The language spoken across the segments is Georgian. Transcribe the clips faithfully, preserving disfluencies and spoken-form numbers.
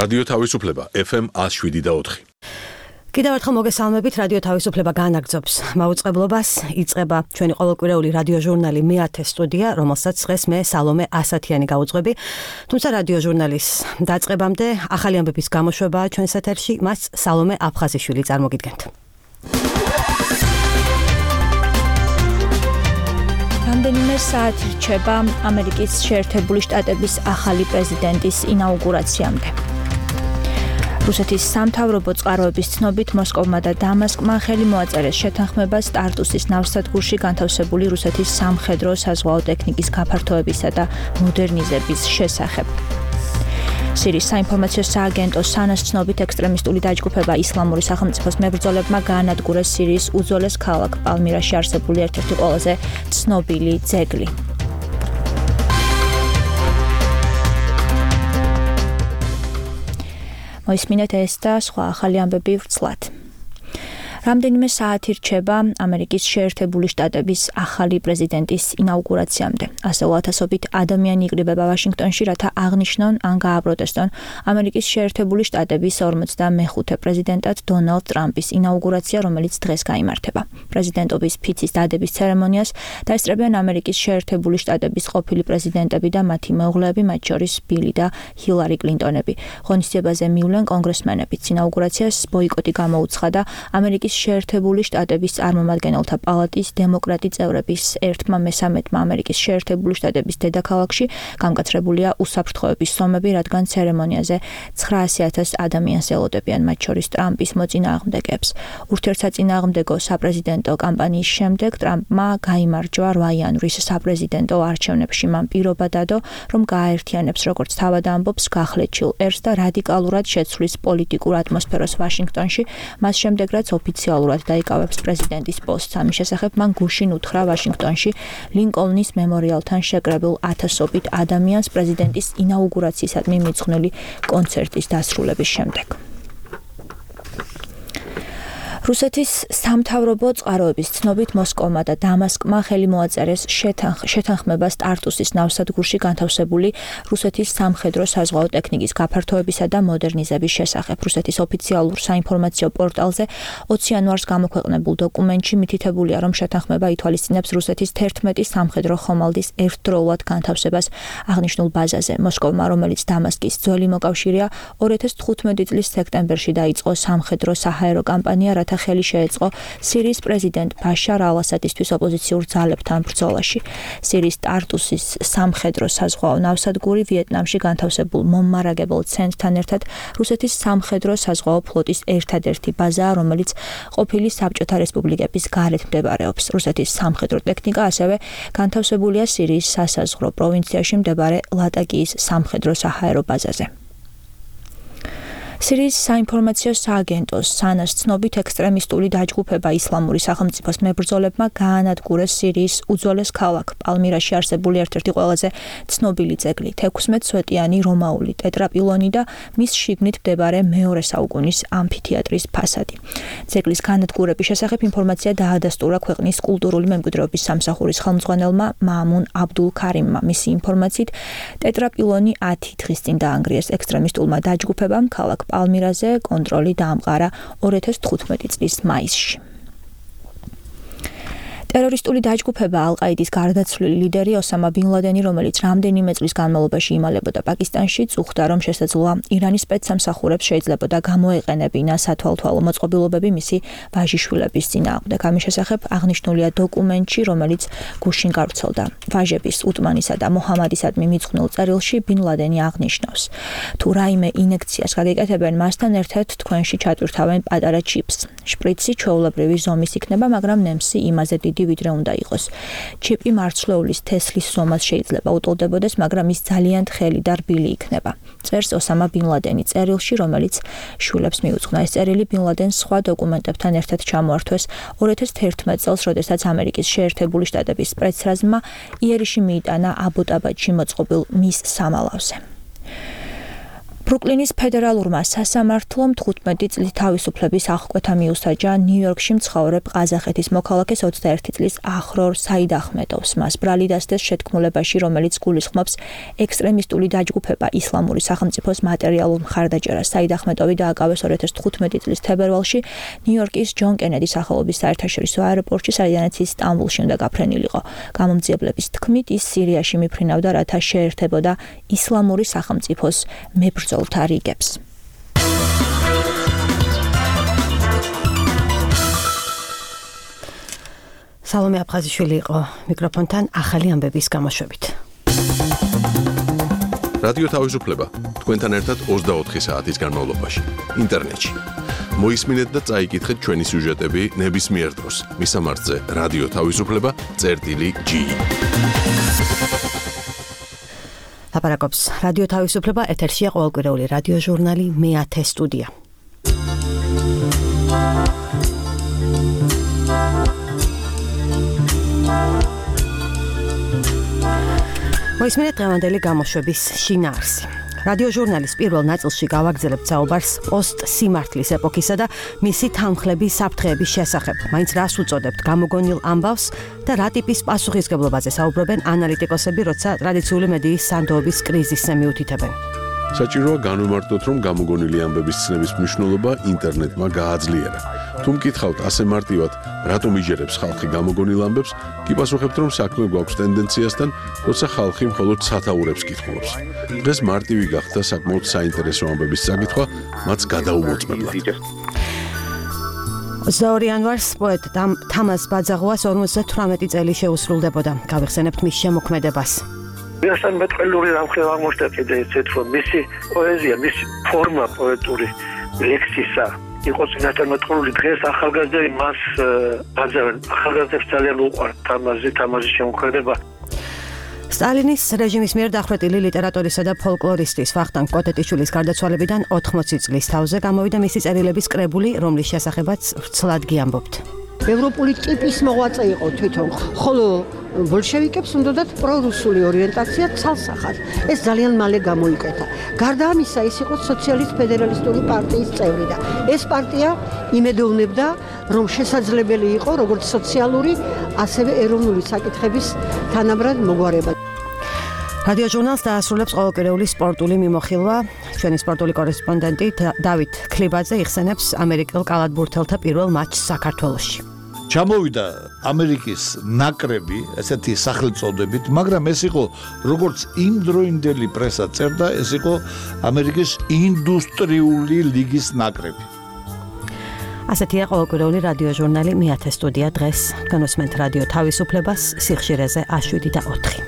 რადიო თავისუფლება ეფ ემ ათს შვიდი და ოთხი. კიდევ ერთხელ მოგესალმებით, რადიო თავისუფლება განაგრძობს მაუწყებლობას. იწყება ჩვენი ყოველკვირეული რადიო ჟურნალი მეათე სტუდია, რომელსაც დღეს მე სალომე ასათიანი გაუძღვები. თუმცა რადიო ჟურნალის დაწყებამდე ახალი ამბების გამოშვებაა ჩვენს ეთერში, მას სალომე აფხაზიშვილი წარმოგიდგენთ. რამდენიმე საათი რჩება ამერიკის შეერთებული შტატების ახალი პრეზიდენტის ინაუგურაციამდე. რუსეთის სამთავრობო წყაროების ცნობით მოსკოვმა და დამასკმა ხელი მოაწერეს შეთანხმებას ტარტუსის ნავსადგურში განთავსებული რუსეთის სამხედრო საზღვაო ტექნიკის გაფართოებისა და მოდერნიზების შესახებ. სირიის საინფორმაციო სააგენტო სანას ცნობით ექსტრემისტული დაჯგუფება ისლამური სახელმწიფოს მებრძოლებმა გაანადგურეს სირიის უძველეს ქალაქ პალმირაში არსებული ერთ-ერთი ყველაზე ცნობილი ძეგლი. მოისმინეთ ეს და სხვა ახალი ამბები ვრცლად. რამდენიმე საათი რჩება ამერიკის შეერთებული შტატების ახალი პრეზიდენტის ინაუგურაციამდე. ასეულ ათასობით ადამიანი იკრიბება ვაშინგტონში, რათა აღნიშნონ ან გააპროტესტონ ამერიკის შეერთებული შტატების ორმოცდამეხუთე პრეზიდენტად დონალდ ტრამპის ინაუგურაცია, რომელიც დღეს გაიმართება. პრეზიდენტობის ფიცის დადების ცერემონიას დაესწრებიან ამერიკის შეერთებული შტატების ყოფილი პრეზიდენტები და მათი მეუღლეები, მათ შორის ბილი და ჰილარი კლინტონები. ღონისძიებაზე მივლენ კონგრესმენებიც. ინაუგურაციას ბოიკოტი გამოუცხადა ამერიკის შეერთებული შტატების წარმომადგენელთა პალატის დემოკრატი წევრების ერთმა მესამედმა ამერიკის შეერთებული შტატების დედაქალაქში გამკაცრებულია უსაფრთხოების სომები, რადგან ცერემონიაზე ცხრაასი ათასი ადამიანს ელოდებიან, მათ შორის ტრამპის მოწინააღმდეგეებს. ურთიერთსაწინააღმდეგო საპრეზიდენტო კამპანიის შემდეგ ტრამპმა გაიმარჯვა რვა იანვრის საპრეზიდენტო არჩევნებში. მან პირობა დადო, რომ გააერთიანებს, როგორც თავად ამბობს, გახლეჩილ ერს და რადიკალურად შეცვლის პოლიტიკურ ატმოსფეროს ვაშინგტონში, მას შემდეგ რაც ოფიციალურად დაიკავებს პრეზიდენტის პოსტს. ამის შესახებ მან გუშინ უთხრა ვაშინგტონში ლინკოლნის მემორიალთან შეკრებილ ათასობით ადამიანს პრეზიდენტის ინაუგურაციისადმი მიძღვნილი კონცერტის დასრულების შემდეგ. რუსეთის სამთავრობო წყაროების ცნობით მოსკოვმა და დამასკმა ხელი მოაწერეს შეთანხმებას ტარტუსის ნავსადგურში განთავსებული რუსეთის სამხედრო საზღვაო ტექნიკის გაფართოებისა და მოდერნიზების შესახებ. რუსეთის ოფიციალურ საინფორმაციო პორტალზე ოცი იანვარს გამოქვეყნებულ დოკუმენტში მითითებულია, რომ შეთანხმება ითვალისწინებს რუსეთის თერთმეტი სამხედრო ხომალდის ერთდროულად განთავსებას აღნიშნულ ბაზაზე. მოსკოვმა, რომელიც დამასკის ძველი მოკავშირეა, ორი ათას თხუთმეტი წლის სექტემბერში დაიწყო სამხედრო საჰაერო კამპანია, რათა ხელი შეეწყო სირიის პრეზიდენტ ბაშარ ალ-ასადისთვის ოპოზიციურ ძალებთან ბრძოლაში. სირიის ტარტუსის სამხედრო საზღვაო ნავსადგური ვიეტნამში განთავსებულ მომარაგებელ ცენტრთან ერთად რუსეთის სამხედრო საზღვაო ფლოტის ერთადერთი ბაზაა, რომელიც ყოფილი საბჭოთა რესპუბლიკების გარეთ მდებარეობს. რუსეთის სამხედრო ტექნიკა ასევე განთავსებულია სირიის სასაზღვრო პროვინციაში მდებარე ლატაკიის სამხედრო საჰაერო ბაზაზე. სირიის საინფორმაციო სააგენტოს სანას ცნობით ექსტრემისტული დაჯგუფება ისლამური სახელმწიფოს მებრძოლებმა გაანადგურეს სირიის უძველეს ქალაქ პალმირაში არსებული ერთ-ერთი ყველაზე ცნობილი ძეგლი, თექვსმეტსვეტიანი რომაული ტეტრაპილონი და მის შიგნით მდებარე მეორე საუკუნის ამფითეატრის ფასადი. ძეგლის განადგურების შესახებ ინფორმაცია დაადასტურა ქვეყნის კულტურული მემკვიდრეობის სამსახურის ხელმძღვანელმა მაამუნ აბდულ ქარიმმა. მისი ინფორმაციით, ტეტრაპილონი ათი დღის წინ დაანგრიეს ექსტრემისტულმა დაჯგუფებამ ქალაქ პალმირაზე კონტროლი დაამყარა ორი ათას თხუთმეტი წლის მაისში. ტერორისტული დაჯგუფება ალ-ყაიდის გარდაცვლილი ლიდერი ოსამა ბინ ლადენი, რომელიც რამდენიმე წლის განმავლობაში იმალებოდა პაკისტანში, წუხდა, რომ შესაძლოა ირანის სპეცსამსახურებს შეიძლებოდა გამოეყენებინა სათვალთვალო მოწყობილობები მისი ვაჟიშვილების წინააღმდეგ. ამის შესახებ აღნიშნულია დოკუმენტში, რომელიც გუშინ გავრცელდა. ვაჟების უტმანისა და მოჰამადისადმი მიძღვნილ წერილში ბინ ლადენი აღნიშნავს: თუ რაიმე ინექციას გაგეკეთებენ, მასთან ერთად თქვენში ჩატვირთავენ პატარა ჩიპს. შპრიცი ჩვეულებრივი ზომის იქნება, მაგრამ ნემსი იმაზე დიდი ვიდრე უნდა იყოს. ჩიპი მარცვლეულის თესლის ზომას შეიძლება უტოლდებოდეს, მაგრამ ის ძალიან თხელი და რბილი იქნება. წერს ოსამა ბინ ლადენი წერილში, რომელიც შვილებს მიუძღვნა. ეს წერილი ბინ ლადენს სხვა დოკუმენტებთან ერთად ჩამოართვეს ორი ათას თერთმეტ წელს, როდესაც ამერიკის შეერთებული შტატების სპეცრაზმმა იერიში მიიტანა აბოტაბადში მოწყობილ მის სამალავზე. ბრუკლინის ფედერალურმა სასამართლომ თხუთმეტი წლის თავისუფლების აღკვეთა მიუსაჯა ნიუ-იორკში მცხოვრებ ყაზახეთის მოქალაქეს ოცდაერთი წლის ახრორ საიდ ახმედოვს. მას ბრალი დასდეს შეთქმულებაში, რომელიც გულისხმობს ექსტრემისტული დაჯგუფება ისლამური სახელმწიფოს მატერიალურ მხარდაჭერას. საიდ ახმედოვი დააკავეს ორი ათას თხუთმეტი წლის თებერვალში ნიუ-იორკის ჯონ კენედის სახელობის საერთაშორისო აეროპორტში, სადაც ის სტამბოლში უნდა გაფრენილიყო. გამომძიებლების თქმით, ის სირიაში მიფრინავდა, რათა შეერთებოდა ისლამური სახელმწიფოს მებრძოლთა რიგებს. სალომე აფხაზიშვილი იყო მიკროფონთან ახალი ამბების გამოშვებით. რადიო თავისუფლება თქვენთან ერთად ოცდაოთხი საათის განმავლობაში ინტერნეტში. მოისმინეთ და წაიკითხეთ ჩვენი სიუჟეტები ნებისმიერ დროს. მისამართზე რადიო თავისუფლება წერტილი ჯი. ლაპარაკობს რადიო თავისუფლება, ეთერშია ყოველკვირეული რადიო ჟურნალი მეათე სტუდია. მოისმინეთ დღევანდელი გამოშვების შინაარსი. რადიო ჟურნალის პირველ ნაწილში გავაგრძელებთ საუბარს პოსტ-სიმართლის ეპოქისა და მისი თანმხლების საფრთხეების შესახებ. მაინც რას უწოდებთ გამოგონილ ამბავს და რა ტიპის პასუხისგებლობაზე საუბრობენ ანალიტიკოსები, როცა ტრადიციული მედიის სანდოობის კრიზისზე მიუთითებენ. საჭიროა განვიმარტოთ, რომ გამოგონილი ამბების ცნების მნიშვნელობა ინტერნეტმა გააძლიერა. თუ მკითხავთ ასე მარტივად, რატომ იჯერებს ხალხი გამოგონილ ამბებს, კი პასუხებთ, რომ საქმე გვაქვს ტენდენციასთან, როცა ხალხი მხოლოდ სათაურებს კითხულობს. დღეს მარტივი გახდა საკმაოდ საინტერესო ამბების წაკითხვა, მათ გადაუმოწმებლად. ოცდაორი იანვარს პოეტ თამაზ ბაძაღუას ორმოცდათვრამეტი წელი შეუსრულდებოდა. გავიხსენებთ მის შემოქმედებას. Միասთან მეტყველური რამხელა აღმოჩნდა კიდე ისეთ, რომ მისი პოეზია, მისი ფორმა პოეტური ლექსისა იყო წინასწარ მეტყველური. დღეს ახალგაზრდები მას აძევენ. ახალგაზრდებს ძალიან უყვართ თამაზი, თამაზის შემოქმედება. სტალინის რეჟიმის მიერ დახვრეტილი ლიტერატორისა და ფოლკლორისტის ვახტანგ კოტეტიშვილის გარდაცვალებიდან ოთხმოცი წლის თავზე გამოვიდა მისი წერილების კრებული, რომლის შესახებაც ვრცლად გიამბობთ. ევროპული ტიპის მოღვაწე იყო თვითონ, ხოლო ბოლშევიკებს უნდათ პრორუსული ორიენტაცია ცალსახად. ეს ძალიან მალე გამოიკეთა. გარდა ამისა, ის იყო სოციალისტ-ფედერალისტური პარტიის წევრი და ეს პარტია იმედოვნებდა, რომ შესაძლებელი იყო როგორც სოციალური, ასევე ეროვნული საკითხების თანაბრად მოგვარება. რადიო ჟურნალს დაასრულებს ყოველკვირეული სპორტული მიმოხილვა. ჩვენი სპორტული კორესპონდენტი დავით ქლიბაძე იხსენებს ამერიკელ კალათბურთელთა პირველ მატჩს საქართველოში. ჩამოვიდა ამერიკის ნაკრები, ესეთი სახელწოდებით, მაგრამ ეს იყო როგორც იმდროინდელი პრესა წერდა, ეს იყო ამერიკის ინდუსტრიული ლიგის ნაკრები. ასეთია ყოველკვირეული რადიო ჟურნალი მეათე სტუდია დღეს. განვესმენთ რადიო თავისუფლებას სიხშირეზე შვიდი და ოთხი.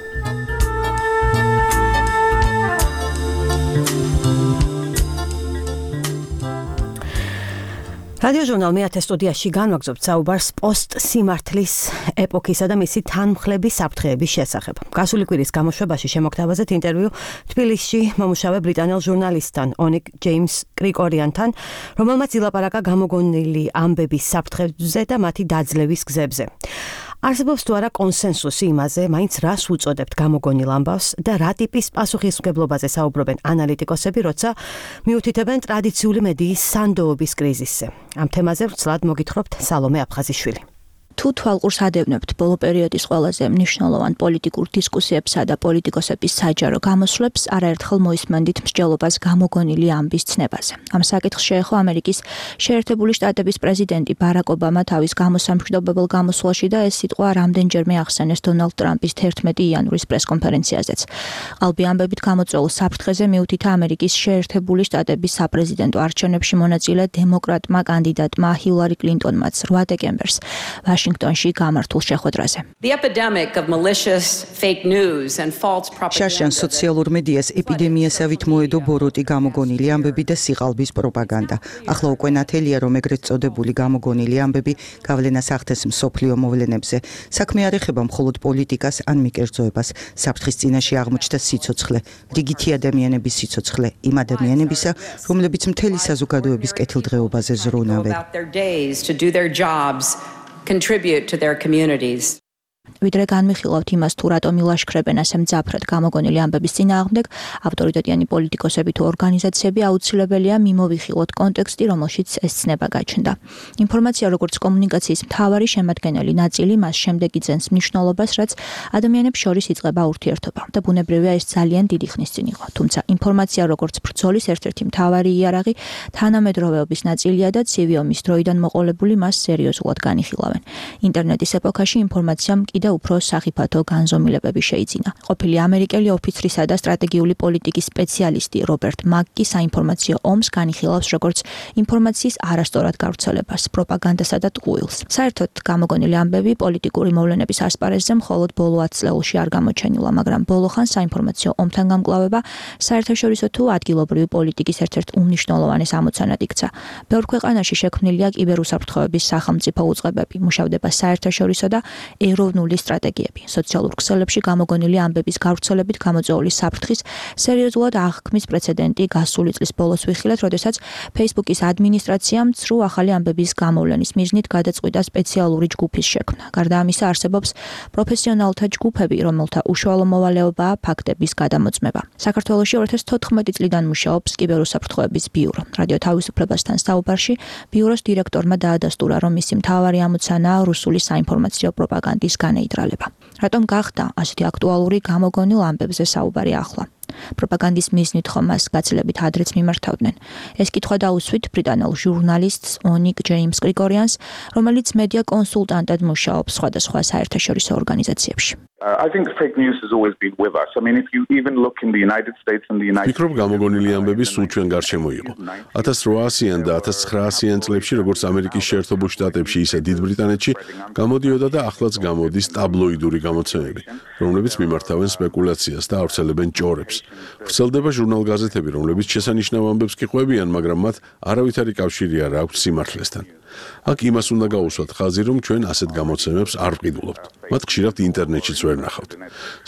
რადიო ჟურნალ მეათე სტუდიაში განვაგრძობთ საუბარს პოსტ-სიმართლის ეპოქისა და მისი თანმხლების საფრთხეების შესახებ. გასული კვირის გამოშვებაში შემოგთავაზეთ ინტერვიუ თბილისში მომუშავე ბრიტანელ ჟურნალისტთან ონიკ ჯეიმს კრიკორიანთან, რომელმაც ილაპარაკა გამოგონილი ამბების საფრთხეებზე და მათი დაძლევის გზებზე. არსებობს თუ არა კონსენსუსი იმაზე, მაინც რას უწოდებთ გამოგონილ ამბავს და რა ტიპის პასუხისმგებლობაზე საუბრობენ ანალიტიკოსები, როცა მიუთითებენ ტრადიციული მედიის სანდოობის კრიზისზე. ამ თემაზე ვრცლად მოგითხრობთ სალომე აფხაზიშვილი. თუ თვალყურს ადევნებთ ბოლო პერიოდის ყველაზე მნიშვნელოვან პოლიტიკურ დისკუსიებსა და პოლიტიკოსების საჯარო გამოსვლებს, არაერთხელ მოისმენდით მსჯელობას გამოგონილი ამბის ცნებაზე. ამ საკითხს შეეხო ამერიკის შეერთებული შტატების პრეზიდენტი ბარაკ ობამა თავის გამოსამშვიდობებელ გამოსვლაში და ეს სიტყვა რამდენჯერმე ახსენეს დონალდ ტრამპის თერთმეტი იანვრის პრესკონფერენციაზეც. ყალბი ამბებით გამოწვეულ საფრთხეზე მიუთითა ამერიკის შეერთებული შტატების საპრეზიდენტო არჩევნებში მონაწილე დემოკრატმა კანდიდატმა ჰილარი კლინტონმაც რვა დეკემბერს ვაშინგტონში გამართულ შეხვედრაზე. შარშან სოციალურ მედიას ეპიდემიასავით მოედო ბოროტი გამოგონილი ამბები და სიყალბის პროპაგანდა. ახლა უკვე ნათელია, რომ ეგრეთ წოდებული გამოგონილი ამბები გავლენას ახდენს მსოფლიო მოვლენებზე. საქმე არ ეხება მხოლოდ პოლიტიკას ან მიკერძოებას. საფრთხის წინაშე აღმოჩნდა სიცოცხლე, რიგითი ადამიანების სიცოცხლე, იმ ადამიანებისა, რომლებიც მთელი საზოგადოების კეთილდღეობაზე ზრუნავენ. contribute to their communities. ვიდრე განვიხილავთ იმას, თუ რატომ ილაშქრებენ ასე მძაფრად გამოგონილი ამბების წინააღმდეგ, ავტორიტეტიანი პოლიტიკოსები თუ ორგანიზაციები აუცილებელია მიმოვიხილოთ კონტექსტი, რომელშიც ეს ცნება გაჩნდა. ინფორმაცია როგორც კომუნიკაციის მთავარი შემადგენელი ნაწილი, მას შემდეგ იძენს მნიშვნელობას, რაც ადამიანებს შორის იწყება ურთიერთობა და ბუნებრივია ეს ძალიან დიდი ხნის წინ იყო. თუმცა ინფორმაცია როგორც ბრძოლის ერთ-ერთი მთავარი იარაღი თანამედროვეობის ნაწილია და ცივი ომის დროიდან მოყოლებული მას სერიოზულად განიხილავენ. ინტერნეტის ეპოქაში ინფორმაციამ კიდევ უფრო სახიფათო განზომილებები შეიძინა. ყოფილი ამერიკელი ოფიცრისა და სტრატეგიული პოლიტიკის სპეციალისტი რობერტ მაკი საინფორმაციო ომს განიხილავს როგორც ინფორმაციის არასწორად გავრცელებას, პროპაგანდასა და ტყუილს. საერთოდ გამოგონილი ამბები პოლიტიკური მოვლენების ასპარეზზე მხოლოდ ბოლო ათ წლებში არ გამოჩენილა, მაგრამ ბოლოხან საინფორმაციო ომთან გამკლავება საერთაშორისო თუ ადგილობრივი პოლიტიკის ერთ-ერთ უმნიშვნელოვანეს ამოცანად იქცა. ბევრ ქვეყანაში შექმნილია კიბერუსაფრთხოების სახელმწიფო უწყებები, მუშავდება საერთაშორისო და ეროვნული სტრატეგიები. სოციალურ ქსელებში გამოგონილი ამბების გავრცელებით გამოწვეული საფრთხის სერიოზულად აღქმის პრეცედენტი გასული წლის ბოლოს ვიხილეთ, როდესაც Facebook-ის ადმინისტრაციამ ცრუ ახალი ამბების გამოვლენის მიზნით გადაწყვიტა სპეციალური ჯგუფის შექმნა. გარდა ამისა არსებობს პროფესიონალთა ჯგუფები, რომელთა უშუალო მოვალეობაა ფაქტების გადამოწმება. საქართველოში ორი ათას თოთხმეტი წლიდან მუშაობს კიბერუსაფრთხოების ბიურო. რადიო თავისუფლებასთან საუბარში ბიუროს დირექტორმა დაადასტურა, რომ მისი მთავარი ამოცანაა რუსული საინფორმაციო პროპაგანდის განეიდრალება. რატომ გახდა ასეთი აქტუალური გამოგონილ ამბებზე საუბარი ახლა? პროპაგანდის მიზნით ხომ მას გაცილებით ადრეც მიმართავდნენ. ეს კითხვა დაუსვით ბრიტანელ ჟურნალისტს ონიკ ჯეიმს გრიგორიანს, რომელიც მედია კონსულტანტად მუშაობს სხვადასხვა საერთაშორისო ორგანიზაციებში. I think fake news has always been with us. I mean, if you even look in the United States and the United States. ვფიქრობ, გამოგონილი ამბები სულ ჩვენ გარშემო იყო. ათას რვაასიან და ათას ცხრაასიან წლებში, როგორც ამერიკის შეერთებულ შტატებში, ისე დიდ ბრიტანეთში, გამოდიოდა და ახლაც გამოდის ტაბლოიდური გამოცემები, რომლებიც მიმართავენ სპეკულაციას და ავრცელებენ ჭორებს. ვრცელდება ჟურნალ-გაზეთები, რომლებიც შესანიშნავ ამბებს კი ყვებიან, მაგრამ მათ არავითარი კავშირი არ აქვს სიმართლესთან. აქ იმას უნდა გაუსვათ ხაზი, რომ ჩვენ ასეთ გამოცემებს არ ვყიდულობთ. მათ ხშირად ინტერნეტშიც ვერ ნახავთ.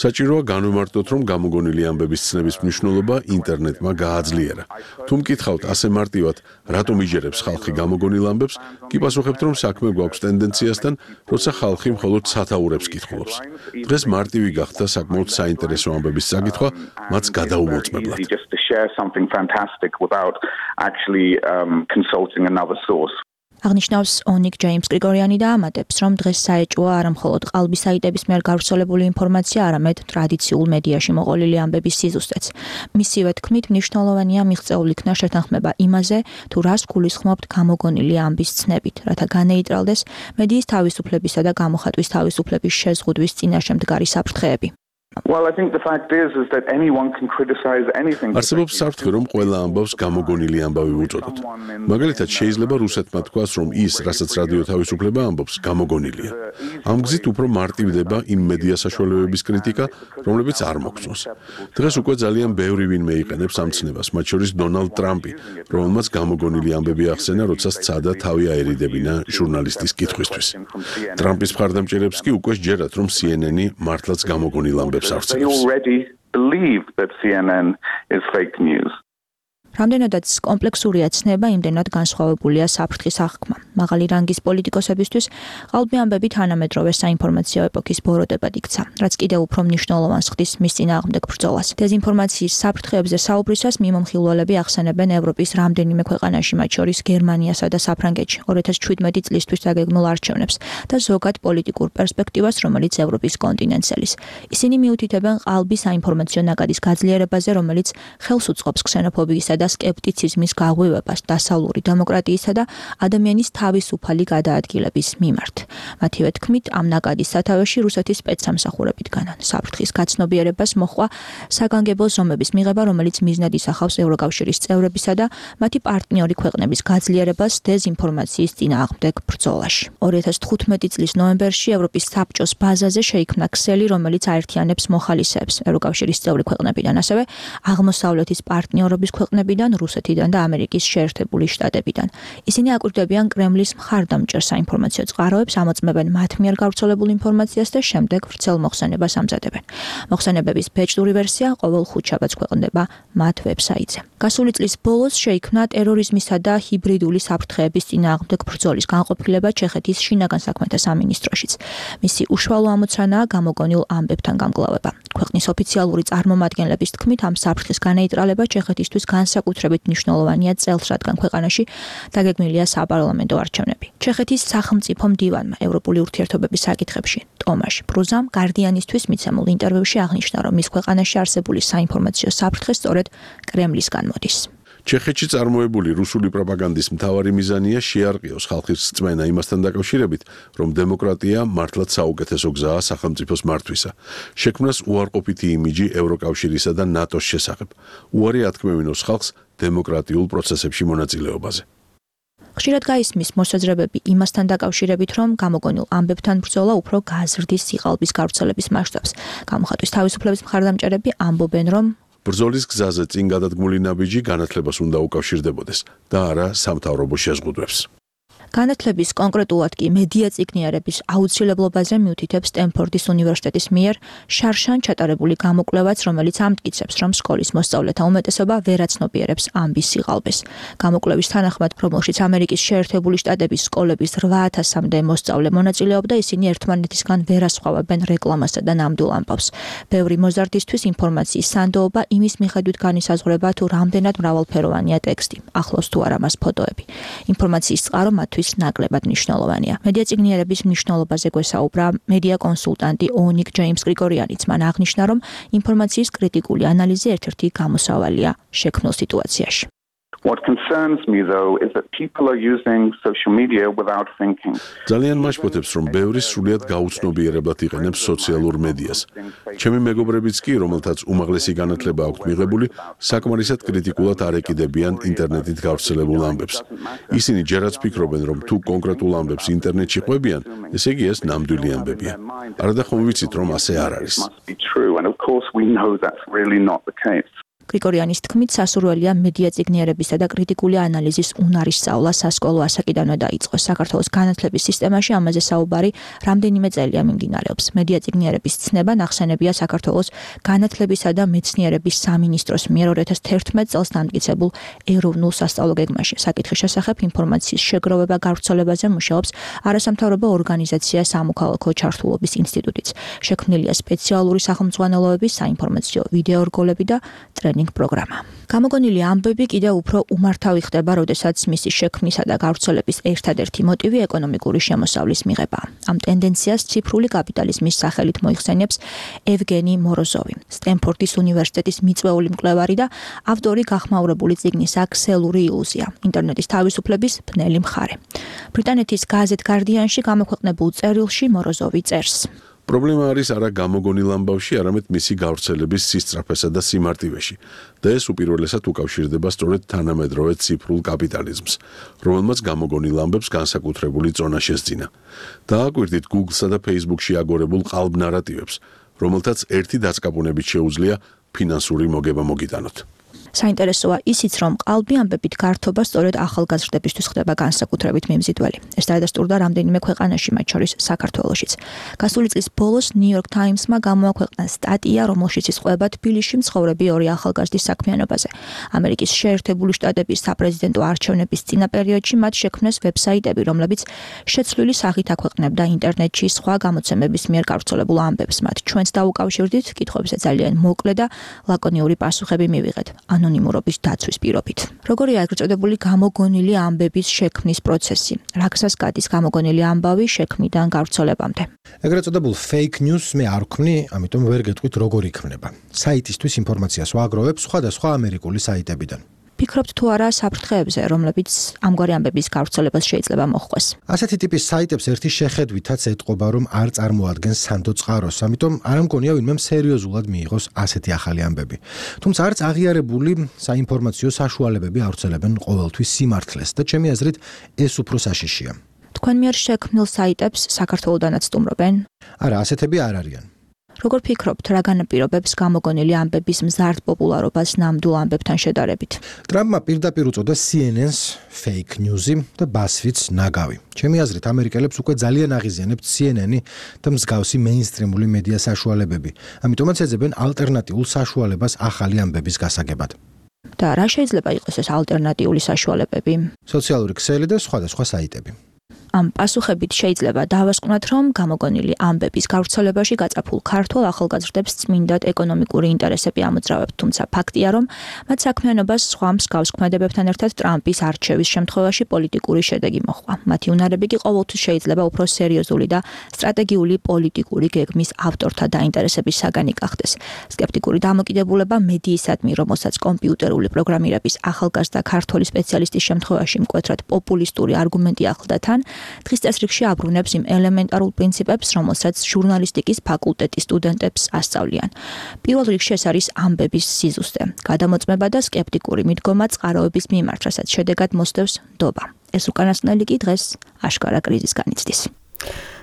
საჭიროა განვიმარტოთ, რომ გამოგონილი ამბების ცნების მნიშვნელობა ინტერნეტმა გააძლიერა. თუ მკითხავთ ასე მარტივად, რატომ იჯერებს ხალხი გამოგონილ ამბებს, კი პასუხებთ, რომ საქმე გვაქვს ტენდენციასთან, როცა ხალხი მხოლოდ სათაურებს კითხულობს. დღეს მარტივი გახდა საკმაოდ საინტერესო ამბების წაკითხვა, მას გადაუმოწმებლად. აღნიშნავს ონიკ ჯეიმს გრიგორიანი და ამატებს, რომ დღეს საეჭვოა არა მხოლოდ ყალბი საიტების მიერ გავრცელებული ინფორმაცია, არამედ ტრადიციულ მედიაში მოყოლილი ამბების სიზუსტეც. მისივე თქმით, მნიშვნელოვანია მიღწეულ იქნა შეთანხმება იმაზე, თუ რას გულისხმობთ გამოგონილი ამბის ცნებით, რათა განეიდრალდეს მედიის თავისუფლებისა და გამოხატვის თავისუფლების შეზღუდვის წინაშე მდგარი საფრთხეები. Well, I think the fact is is that anyone can criticize anything. არსებობს საფრთხე, რომ ყველა ამბავს გამოგონილი ამბავი უწოდოთ. მაგალითად, შეიძლება რუსეთმა თქვას, რომ ის, რასაც რადიო თავისუფლება ამბობს, გამოგონილია. ამ გზით უფრო მარტივდება იმ მედია საშუალებების კრიტიკა, რომლებიც არ მოგწონს. დღეს უკვე ძალიან ბევრი ვინმე იყენებს ამ ცნებას, მათ შორის დონალდ ტრამპი, რომელმაც გამოგონილი ამბები ახსენა, როცა სცადა თავი აერიდებინა ჟურნალისტის კითხვისთვის. ტრამპის მხარდამჭერებს კი უკვე სჯერათ, რომ C N N-ი მართლაც გამოგონილ ამბებს They already believe that C N N is fake news. რამდენადაც კომპლექსურია ცნება, იმდენად განსხვავებულია საფრთხის აღქმა. მაღალი რანგის პოლიტიკოსებისთვის ყალბი ამბები თანამედროვე საინფორმაციო ეპოქის ბოროტებად იქცა, რაც კიდევ უფრო მნიშვნელოვანს ხდის მის წინააღმდეგ ბრძოლას. დეზინფორმაციის საფრთხეებზე საუბრისას მიმომხილველები ახსენებენ ევროპის რამდენიმე ქვეყანაში, მათ შორის გერმანიასა და საფრანგეთში ორი ათას შვიდმეტი წლისთვის დაგეგმილ არჩევნებს და ზოგად პოლიტიკურ პერსპექტივას, რომელიც ევროპის კონტინენტს ელის. ისინი მიუთითებენ ყალბი საინფორმაციო ნაკადის გაძლიერებაზე, რომელიც ხელს უწყობს ქსენოფობიისა და სკეპტიციზმის გაღვივებას დასავლური დემოკრატიისა და ადამიანის თავისუფალი გადაადგილების მიმართ. მათივე თქმით, ამ ნაკადის სათავეში რუსეთის სპეცსამსახურები დგანან. საფრთხის გაცნობიერებას მოჰყვა საგანგებო ზომების მიღება, რომელიც მიზნად ისახავს ევროკავშირის წევრებისა და მათი პარტნიორი ქვეყნების გაძლიერებას დეზინფორმაციის წინააღმდეგ ბრძოლაში. ორი ათას თხუთმეტი წლის ნოემბერში ევროპის საბჭოს ბაზაზე შეიქმნა ქსელი, რომელიც აერთიანებს მოხალისეებს ევროკავშირის წევრი ქვეყნებიდან, ასევე აღმოსავლეთის პარტნიორობის ქვეყნებიდან კრემლიდან, რუსეთიდან და ამერიკის შეერთებული შტატებიდან. ისინი აკვირდებიან კრემლის მხარდამჭერ საინფორმაციო წყაროებს, ამოწმებენ მათ მიერ გავრცელებულ ინფორმაციას და შემდეგ ვრცელ მოხსენებას ამზადებენ. მოხსენებების ბეჭდური ვერსია ყოველ ხუთშაბათს ქვეყნდება მათ ვებსაიტზე. გასული წლის ბოლოს შეიქმნა ტერორიზმისა და ჰიბრიდული საფრთხეების წინააღმდეგ ბრძოლის განყოფილება ჩეხეთის შინაგან საქმეთა სამინისტროშიც. მისი უშუალო ამოცანაა გამოგონილ ამბებთან გამკლავება. ქვეყნის ოფიციალური წარმომადგენლების თქმით, ამ საფრთხის განეიტრალება ჩეხეთისთვის განსაკუთრებით მნიშვნელოვანია წელს, რადგან ქვეყანაში დაგეგმილია საპარლამენტო არჩევნები. ჩეხეთის სახელმწიფო მდივანმა ევროპული ურთიერთობების საკითხებში ტომაშ პრუზამ გარდიანისთვის მიცემულ ინტერვიუში აღნიშნა, რომ მის ქვეყანაში არსებული საინფორმაციო საფრთხე სწორედ კრემლისგან მოდის. ჩეხეთში წარმოებული რუსული პროპაგანდის მთავარი მიზანია შეარყიოს ხალხის რწმენა იმასთან დაკავშირებით, რომ დემოკრატია მართლაც საუკეთესო გზაა სახელმწიფოს მართვისა. შექმნას უარყოფითი იმიჯი ევროკავშირისა და ნატოს შესახებ. უარი ათქმევინოს ხალხს დემოკრატიულ პროცესებში მონაწილეობაზე. ხშირად გაისმის მოსაზრებები იმასთან დაკავშირებით, რომ გამოგონილ ამბებთან ბრძოლა უფრო გაზრდის სიყალბის გავრცელების მასშტაბს. გამოხატვის თავისუფლების მხარდამჭერები ამბობენ, რომ ბრძოლის გზაზე წინ გადადგმული ნაბიჯი განათლებას უნდა უკავშირდებოდეს და არა სამთავრობო შეზღუდვებს. განათლების კონკრეტულად კი მედია წიგნიერების აუცილებლობაზე მიუთითებს სტენფორდის უნივერსიტეტის მიერ შარშან ჩატარებული გამოკვლევაც, რომელიც ამტკიცებს, რომ სკოლის მოსწავლეთა უმეტესობა ვერ აცნობიერებს ამბის სიყალბეს. გამოკვლევის თანახმად, რომელშიც ამერიკის შეერთებული შტატების სკოლების რვა ათასამდე მოსწავლე მონაწილეობდა, ისინი ერთმანეთისგან ვერ ასხვავებენ რეკლამასა და ნამდვილ ამბავს. ბევრი მოზარდისთვის ინფორმაციის სანდოობა იმის მიხედვით განისაზღვრება, თუ რამდენად მრავალფეროვანია ტექსტი, ახლავს თუ არა მას ფოტოები. ინფორმაციის წყარო მათთვის ნაკლებად მნიშვნელოვანია. მედია წიგნიერების მნიშვნელობაზე გვესაუბრა მედია კონსულტანტი ონიკ ჯეიმს გრიგორიანიც. მან აღნიშნა, რომ ინფორმაციის კრიტიკული ანალიზი ერთ-ერთი გამოსავალია შექმნილ სიტუაციაში. What concerns me though is that people are using social media without thinking. ძალიან მაშფოთებს, რომ ბევრი სრულიად გაუცნობიერებლად იყენებს სოციალურ მედიას. ჩემი მეგობრებიც კი, რომელთაც უმაღლესი განათლება აქვთ მიღებული, საკმარისად კრიტიკულად არ ეკიდებიან ინტერნეტით გავრცელებულ ამბებს. ისინი ჯერაც ფიქრობენ, რომ თუ კონკრეტულ ამბებს ინტერნეტში ყვებიან, ესე იგი ეს ნამდვილი ამბებია. არადა ხომ ვიცით, რომ ასე არ არის. გრიგორიანის თქმით, სასურველია მედია წიგნიერებისა და კრიტიკული ანალიზის უნარის სწავლა სასკოლო ასაკიდანვე დაიწყო. საქართველოს განათლების სისტემაში ამაზე საუბარი რამდენიმე წელია მიმდინარეობს. მედია წიგნიერების ცნება ნახსენებია საქართველოს განათლებისა და მეცნიერების სამინისტროს მიერ ორი ათას თერთმეტ წელს დამტკიცებულ ეროვნულ სასწავლო გეგმაში. საკითხის შესახებ ინფორმაციის შეგროვება გავრცელებაზე მუშაობს არასამთავრობო ორგანიზაცია სამოქალაქო ჩართულობის ინსტიტუტიც. შექმნილია სპეციალური სახელმძღვანელოების საინფორმაციო ვიდეორგოლები და პროგრამა. გამოგონილი ამბები კიდევ უფრო უმართავი ხდება, როდესაც მისი შექმნისა და გავრცელების ერთადერთი მოტივი ეკონომიკური შემოსავლის მიღება. ამ ტენდენციას ციფრული კაპიტალიზმის სახელით მოიხსენიებს ევგენი მოროზოვი, სტენფორდის უნივერსიტეტის მიწვეული მკვლევარი და ავტორი გახმაურებული წიგნის აქსელური ილუზია, ინტერნეტის თავისუფლების ბნელი მხარე. ბრიტანეთის გაზეთ გარდიანში გამოქვეყნებულ წერილში მოროზოვი წერს. პრობლემა არის არა გამოგონილ ამბავში, არამედ მისი გავრცელების სისწრაფესა და სიმარტივეში. და ეს უპირველესად უკავშირდება სწორედ თანამედროვე ციფრულ კაპიტალიზმს, რომელმაც გამოგონილ ამბებს განსაკუთრებული წონა შესძინა. დააკვირდით Google-სა და Facebook-ში აგორებულ ყალბ ნარატივებს, რომელთაც ერთი დაწყაბუნებით შეუძლია ფინანსური მოგება მოგიტანოთ. საინტერესოა ისიც, რომ ყალბი ამბებით გართობა სწორედ ახალგაზრდებისთვის ხდება განსაკუთრებით მიმზიდველი. ეს დაადასტურდა რამდენიმე ქვეყანაში, მათ შორის საქართველოშიც. გასული წლის ბოლოს New York Times-მა გამოაქვეყნა სტატია, რომელშიც ისყვება თბილისში მცხოვრები ორი ახალგაზრდის საქმიანობაზე. ამერიკის შეერთებული შტატების საპრეზიდენტო არჩევნების წინა პერიოდში მათ შექმნეს ვებსაიტები, რომლებიც შეცვლილი სახით აქვეყნებდა ინტერნეტში სხვა გამოცემების მიერ გავრცელებულ ამბებს. მათ ჩვენც დაუკავშირდით, კითხვებზე ძალიან მოკლე და ლაკონიური პასუხები მივიღეთ. ანონიმურობის დაცვის პირობით. როგორია ეგრეთ წოდებული გამოგონილი ამბების შექმნის პროცესი? რა გზას გადის გამოგონილი ამბავი შექმნიდან გავრცელებამდე? ეგრეთ წოდებულ fake news მე არ ვქმნი, ამიტომ ვერ გეტყვით როგორ იქნება. საიტისთვის ინფორმაციას ვაგროვებ სხვადასხვა ამერიკული საიტებიდან. ფიქრობთ თუ არა საფრთხეებზე, რომლებიც ამგვარი ამბების გავრცელებას შეიძლება მოჰყვეს? ასეთი ტიპის საიტებს ერთი შეხედვითაც ეტყობა, რომ არ წარმოადგენს სანდო წყაროს, ამიტომ არ მგონია ვინმემ სერიოზულად მიიღოს ასეთი ახალი ამბები. თუმცა არც აღიარებული საინფორმაციო საშუალებები ავრცელებენ ყოველთვის სიმართლეს და ჩემი აზრით ეს უფრო საშიშია. თქვენ მიერ შექმნილ საიტებს საქართველოდანაც სტუმრობენ? არა, ასეთები არ არიან. როგორ ფიქრობთ, რა განაპირობებს გამოგონილი ამბების მზარდ პოპულარობას ნამდვილ ამბებთან შედარებით? ტრამპმა პირდაპირ უწოდა C N N-ს fake news-ი და BuzzFeed-ს ნაგავი. ჩემი აზრით, ამერიკელებს უკვე ძალიან აღიზიანებთ C N N-ი და მსგავსი მეინსტრიმული მედია საშუალებები. ამიტომაც ეძებენ ალტერნატიულ საშუალებას ახალი ამბების გასაგებად. და რა შეიძლება იყოს ეს ალტერნატიული საშუალებები? სოციალური ქსელი და სხვადასხვა საიტები. ამ პასუხებით შეიძლება დავასკვნათ, რომ გამოგონილი ამბების გავრცელებაში გაწაფულ ქართულ ახალგაზრდებს წმინდად ეკონომიკური ინტერესები ამოძრავებთ, თუმცა ფაქტია, რომ მათ საქმიანობას სხვა მსგავს ქმედებებთან ერთად ტრამპის არჩევის შემთხვევაში პოლიტიკური შედეგი მოჰყვა. მათი უნარები კი ყოველთვის შეიძლება უფრო სერიოზული და სტრატეგიული პოლიტიკური გეგმის ავტორთა დაინტერესების საგანი გახდეს. სკეპტიკური დამოკიდებულება მედიისადმი, რომელსაც კომპიუტერული პროგრამირების ახალგაზრდა ქართველი სპეციალისტის შემთხვევაში მკვეთრად პოპულისტური არგუმენტი ახლდა თან, დღის წესრიგში აბრუნებს იმ ელემენტარულ პრინციპებს, რომელსაც ჟურნალისტიკის ფაკულტეტის სტუდენტებს ასწავლიან. პირველ რიგში ეს არის ამბების სიზუსტე, გადამოწმება და სკეპტიკური მიდგომა წყაროების მიმართ, რასაც შედეგად მოსდევს ნდობა. ეს უკანასკნელი კი დღეს აშკარა კრიზისს განიცდის.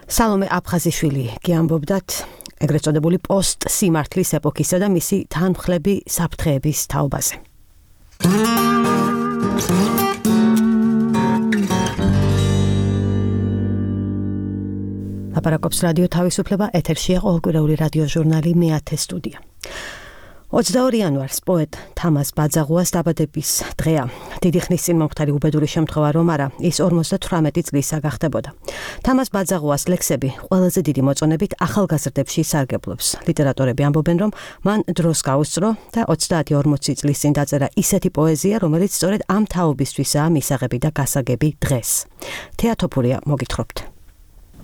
სალომე აფხაზიშვილი გიამბობდათ ეგრეთ წოდებული პოსტ სიმართლის ეპოქისა და მისი თანმხლები საფრთხეების თაობაზე. ლაპარაკობს რადიო თავისუფლება, ეთერშია ყოველკვირეული რადიო ჟურნალი მეათე სტუდია. ოცდაორი იანვარს პოეტ თამაზ ბაძაღუას დაბადების დღეა. დიდი ხნის წინ მომხდარი უბედური შემთხვევა რომ არა, ის ორმოცდათვრამეტი წლისა გახდებოდა. თამაზ ბაძაღუას ლექსები ყველაზე დიდი მოწონებით ახალგაზრდებში ისარგებლობს. ლიტერატორები ამბობენ, რომ მან დროს გაუსწრო და ოცდაათი ორმოცი წლის წინ დაწერა ისეთი პოეზია, რომელიც სწორედ ამ თაობისთვისაა მისაღები და გასაგები დღეს. თეატოფურია მოგითხრობთ.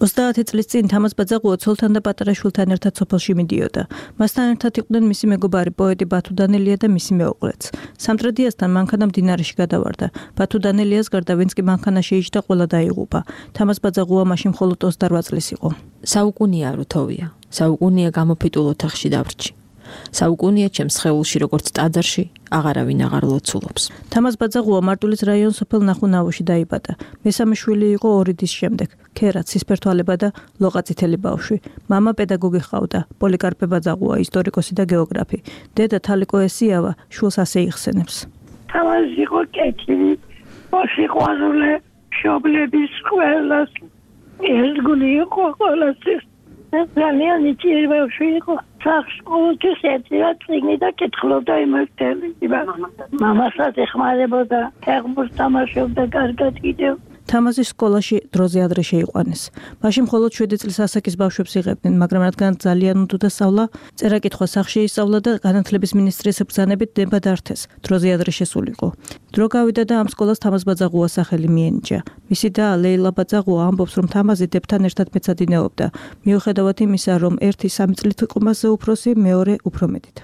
ოცდაათი წლის წინ თამაზ ბაძაღუა ცოლთან და პატარა შვილთან ერთად სოფელში მიდიოდა. მასთან ერთად იყვნენ მისი მეგობარი პოეტი ბათუ დანელია და მისი მეუღლეც. სამტრედიასთან მანქანა მდინარეში გადავარდა. ბათუ დანელიას გარდა ვინც კი მანქანაში იჯდა, ყველა დაიღუპა. თამაზ ბაძაღუა მაშინ მხოლოდ ოცდარვა წლის იყო. საუკუნია რუთოვია. საუკუნია გამოფიტულ ოთახში დავრჩი. საუკუნია ჩემს სხეულში როგორც ტაძარში აღარავინ აღარ ლოცულობს. თამაზ ბაძაღუა მარტვილის რაიონის სოფელ ნახუნავოში დაიბადა. მესამე შვილი იყო ორი დის შემდეგ. ქერა, ცისფერთვალება და ლოყაწითელი ბავშვი. მამა პედაგოგი ჰყავდა, პოლიკარპე ბაძაღუა, ისტორიკოსი და გეოგრაფი. დედა თალიკო ესიავა შვილს ასე იხსენებს. თამაზ იყო კეთილი, მოსიყვარულე, მშობლების ყველას ერთგული იყო ყველასთვის. ძალიან იჭირი ბავშვი იყო. სახში ყოველთვის ეწევა წიგნი და კითხულობდა იმართელი. მამასაც ეხმარებოდა, ფეხბურთს თამაშობდა კარგად კიდევ. თამაზის სკოლაში დროზე ადრე შეიყვანეს. მაშინ მხოლოდ შვიდი წლის ასაკის ბავშვებს იღებდნენ, მაგრამ რადგან ძალიან უნდოდა სწავლა, წერა-კითხვა სახში ისწავლა და განათლების მინისტრის ბრძანებით ნება დართეს. დროზე ადრე შესულიყო. დრო გავიდა და ამ სკოლას თამაზ ბაძაღუას სახელი მიენიჭა. მისი და ლეილა ბაძაღუა ამბობს, რომ თამაზი დებთან ერთად მეცადინეობდა, მიუხედავად იმისა, რომ ერთი სამი წლით იყო მასზე უფროსი, მეორე უფრო მეტით.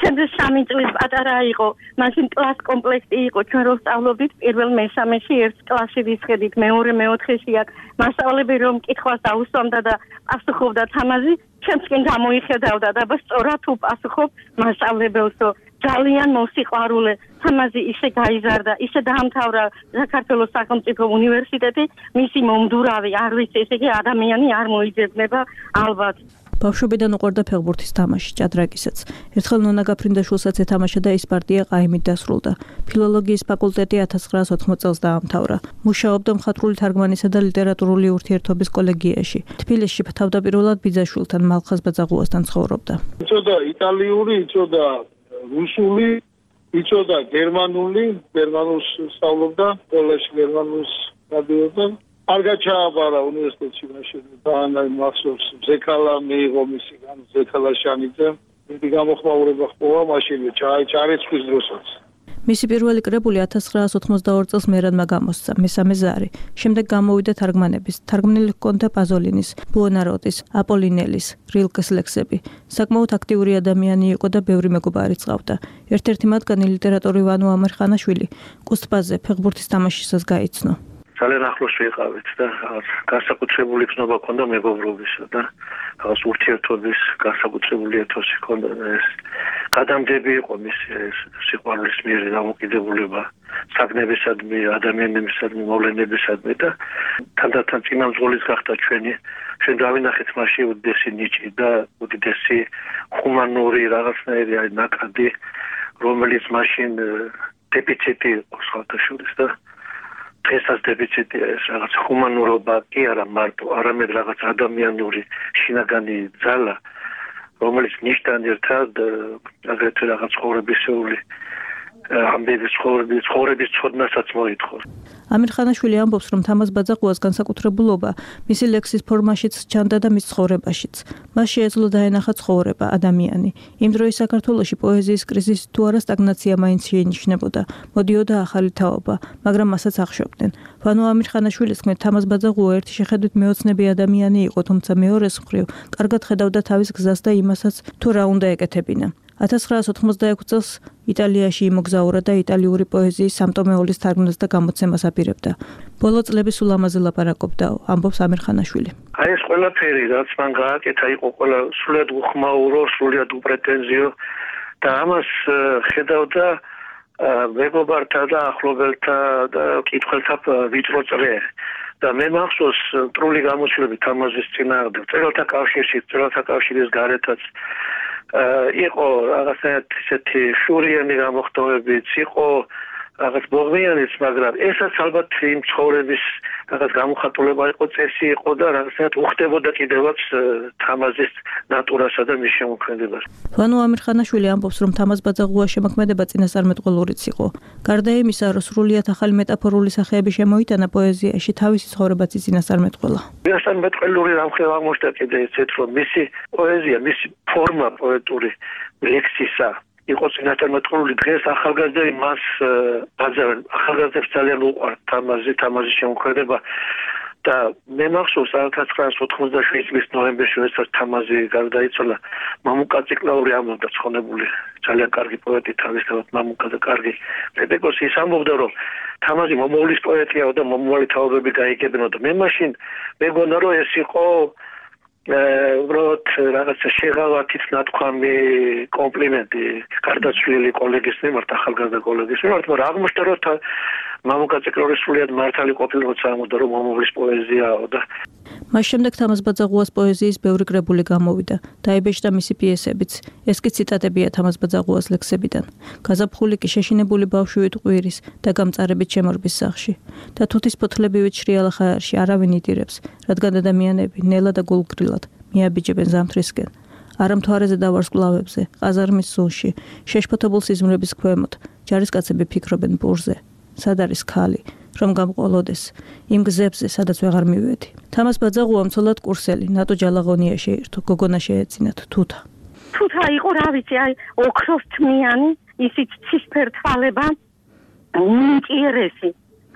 ჩემზე სამი წლის პატარა იყო, მაშინ კლას კომპლექტი იყო, ჩვენ რო ვსწავლობდით პირველ მესამეში ერთ კლასში ვისხედით, მეორე მეოთხეში აქ მასწავლებელი რომ კითხვას დაუსვამდა და პასუხობდა თამაზი, ჩემსკენ გამოიხედავდა და სწორად თუ პასუხობ მასწავლებელსო, ძალიან მოსიყვარულე. თამაზი ისე გაიზარდა, ისე დაამთავრა საქართველოს სახელმწიფო უნივერსიტეტი, მისი მომდურავი არ ვიცი, ესე იგი ადამიანი არ მოიძებნება ალბათ. ბავშვობიდან უყვარდა ფეხბურთის თამაში, ჭადრაკისაც. ერთხელ ნონა გაფრინდაშვილსაც ეთამაშა და ის პარტია ყაიმით დასრულდა. ფილოლოგიის ფაკულტეტი ათას ცხრაას ოთხმოც წელს დაამთავრა. მუშაობდა მხატვრული თარგმანისა და ლიტერატურული ურთიერთობის კოლეგიაში. თბილისში თავდაპირველად ბიძაშვილთან მალხაზ ბაძაღუასთან ცხოვრობდა. იცოდა იტალიური, იცოდა რუსული, იცოდა გერმანული, გერმანულს სწავლობდა, სკოლაში გერმანულს გადიოდა. არ გაჩააბარა უნივერსიტეტში მაშინ და მახსოვს ზექალა მიიღო მისგან ზექალა შანიძე დიდი გამოხმაურება ხდება მაშინ ჩარიცხვის დროსაც. მისი პირველი კრებული ათას ცხრაას ოთხმოცდაორი წელს მერადმა გამოსცა, მესამე ზარი. შემდეგ გამოვიდა თარგმანების. თარგმნილი ჰქონდა პაზოლინის, ბუონაროტის, აპოლინელის, რილკეს ლექსები. საკმაოდ აქტიური ადამიანი იყო და ბევრი მეგობარი ჰყავდა. ერთ-ერთი მათგანი ლიტერატორი ვანო ამერხანაშვილი კუსტბაზე ფეხბურთის თამაშისას გაიცნო. ძალიან ახლოს ვიყავით და განსაკუთრებული ცნობა ჰქონდა მეგობრობისა და რაღაც ურთიერთობის განსაკუთრებული ეთოსი ჰქონდა და ეს გადამდები იყო მის სიყვარულის მიერ დამოკიდებულება საგნებისადმი, ადამიანებისადმი, მოვლენებისადმი და თანდათან წინამძღოლის გახდა ჩვენი ჩვენ დავინახეთ მასში უდიდესი ნიჭი და უდიდესი ჰუმანური რაღაცნაირი აი ნაკადი, რომელიც მაშინ დეფიციტი იყო სხვათაშორის და დღესაც დეფიციტია ეს რაღაც ჰუმანურობა კი არა მარტო, არამედ რაღაც ადამიანური შინაგანი ძალა, რომელიც ნიშთან ერთად აგრეთვე რაღაც ცხოვრებისეული ამბების ცხოვრების ცხოვრების ცოდნასაც მოითხოვს. ამირ ხანაშვილი ამბობს, რომ თამაზ ბაძაყუას განსაკუთრებულობა მისი ლექსის ფორმაშიც ჩანდა და მის ცხოვრებაშიც. მას შეეძლო დაენახა ცხოვრება, ადამიანი. იმ დროის საქართველოში პოეზიის კრიზისი თუ არა სტაგნაცია მაინც შეინიშნებოდა. მოდიოდა ახალი თაობა, მაგრამ მასაც ახშობდნენ. ვანო ამირ ხანაშვილის თქმით, თამაზ ბაძაყუა ერთი შეხედვით მეოცნები ადამიანი იყო, თუმცა მეორეს მხრივ კარგად ხედავდა თავის გზას და იმასაც, თუ რა უნდა ეკეთებინა. ათას ცხრაას ოთხმოცდაექვსი წელს იტალიაში იმოგზაურა და იტალიური პოეზიის სამტომეულის თარგმნას და გამოცემას აპირებდა. ბოლო წლები სულ ამაზე ლაპარაკობდა, ამბობს ამირ ხანაშვილი. აი ეს ყველაფერი, რაც მან გააკეთა, იყო ყველა სრულიად უხმაურო, სრულიად უპრეტენზიო და ამას ხედავდა მეგობართა და ახლობელთა და კითხველთა ვიწრო წრე. და მე მახსოვს მტრული გამოცდილები თამაზის წინააღმდეგ, მწერალთა კავშირში, მწერალთა კავშირის გარეთაც იყო რაღაცა ისეთი შურიანი გამოხდომებიც, იყო რაღაც ბოღმიანიც, მაგრამ ესაც ალბათ იმ ცხოვრების რაღაც გამოხატულება იყო, წესი იყო და რაღაცა უხდებოდა კიდევაც თამაზის ნატურასა და მის შემოქმედებას. ვანო ამირ ხანაშვილი ამბობს, რომ თამაზ ბაძაყუას შემოქმედება წინასწარმეტყველურიც იყო. გარდა იმისა, რომ სრულიად ახალი მეტაფორული სახეები შემოიტანა პოეზიაში, თავისი ცხოვრებაც წინასწარმეტყველა. წინასწარმეტყველური რამხელა აღმოჩნდა კიდე ისეთ, რომ მისი პოეზია, მისი ფორმა პოეტური ლექსისა იყო წინასწარმეტყველური. დღეს ახალგაზრდები მას აძევენ, ახალგაზრდებს ძალიან უყვართ თამაზი, თამაზის შემოქმედება და მე მახსოვს ათას ცხრაას ოთხმოცდაშვიდი წლის ნოემბერში, როდესაც თამაზი გარდაიცვალა, მამუკა ციკლაური ამბობდა, ცხონებული ძალიან კარგი პოეტი, თავისთავად მამუკა და კარგი პედაგოგი, ის ამბობდა, რომ თამაზი მომავლის პოეტია და მომავალი თაობები გაიგებინოდა. მე მაშინ მეგონა, რომ ეს იყო უბრალოდ რაღაცა შეღავათით ნათქვამი კომპლიმენტი გარდაცვლილი კოლეგის მიმართ, ახალგაზრდა კოლეგის მიმართ, მაგრამ აღმოჩნდა, რომ მამუკა ციკლაური სრულიად მართალი ყოფილა, როცა ამბობდა, რომ მომავლის პოეზიაო და მას შემდეგ თამაზ ბაძაყუას პოეზიის ბევრი კრებული გამოვიდა. დაიბეჭდა მისი პიესებიც. ეს კი ციტატებია თამაზ ბაძაყუას ლექსებიდან. გაზაფხული კი შეშინებული ბავშვივით ყვირის და გამწარებით შემორბის სახში. და თუთის ფოთლებივით შრიალა ხაერში არავინ იდირებს, რადგან ადამიანები ნელა და გულგრილად მიაბიჯებენ ზამთრისკენ. არა მთვარეზე და ვარსკვლავებზე, ყაზარმის სუნში, შეშფოთებულ სიზმრების ქვემოთ, ჯარისკაცები ფიქრობენ ბურზე. სად არის ქალი? რომ გამყოლოდეს იმ გზებზე, სადაც ვეღარ მივედი. თამაზ ბაძაყუამ ცოლად კურსელი, ნატო ჯალაღონია შეირთო, გოგონა შეეძინათ, თუთა. თუთა იყო, რა ვიცი, აი ოქროსთმიანი, ისიც ცისფერ თვალება, ნიჭიერესი,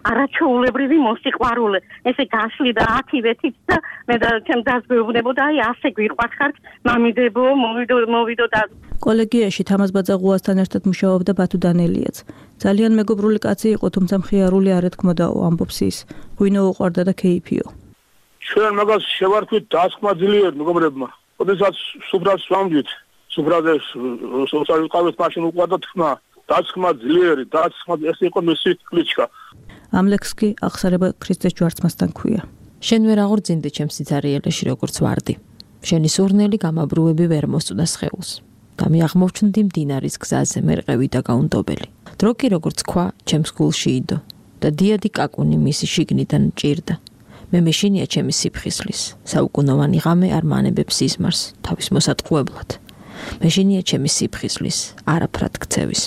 არაჩვეულებრივი მოსიყვარულე. ესე გასლიდა ათივეთით და მე და ჩემ დაზღვევნებოდა, აი ასე გვიყვარხართ, მამიდებო, მოვიდო, მოვიდო და კოლეგიაში თამაზ ბაძაყუასთან ერთად მუშაობდა ბათუ დანელიაც. ძალიან მეგობრული კაცი იყო, თუმცა მხიარული არ ეთქმოდაო, ამბობს ის. ღვინო უყვარდა და ქეიფიო. ჩვენ მაგას შევარქვით დასხმა ძლიერ მეგობრებმა. ოდესაც სუფრას ვამდვით, სუფრაზე სოციალურ ყავეს მაშინ უყვარდა თქმა, დასხმა ძლიერი, დასხმა ეს იყო მისი კლიჩკა. ამ ლექსს კი აღსარება ქრისტეს ჯვარცმასთან ქვია. შენ ვერ აღორძინდი ჩემს სიცარიელეში როგორც ვარდი. შენი სურნელი გამაბრუები ვერ მოსწოდა სხეულს. და მე აღმოჩნდი მდინარის გზაზე მერყევი და გაუნდობელი. დრო კი როგორც ქვა ჩემს გულში იდო და დიადი კაკუნი მისი შიგნიდან ჭირდა. მე მეშინია ჩემი სიფხისლის, საუკუნოვანი ღამე არ მანებებს სიზმარს თავის მოსატყუებლად. მეშინია ჩემი სიფხისლის, არაფრად ქცევის.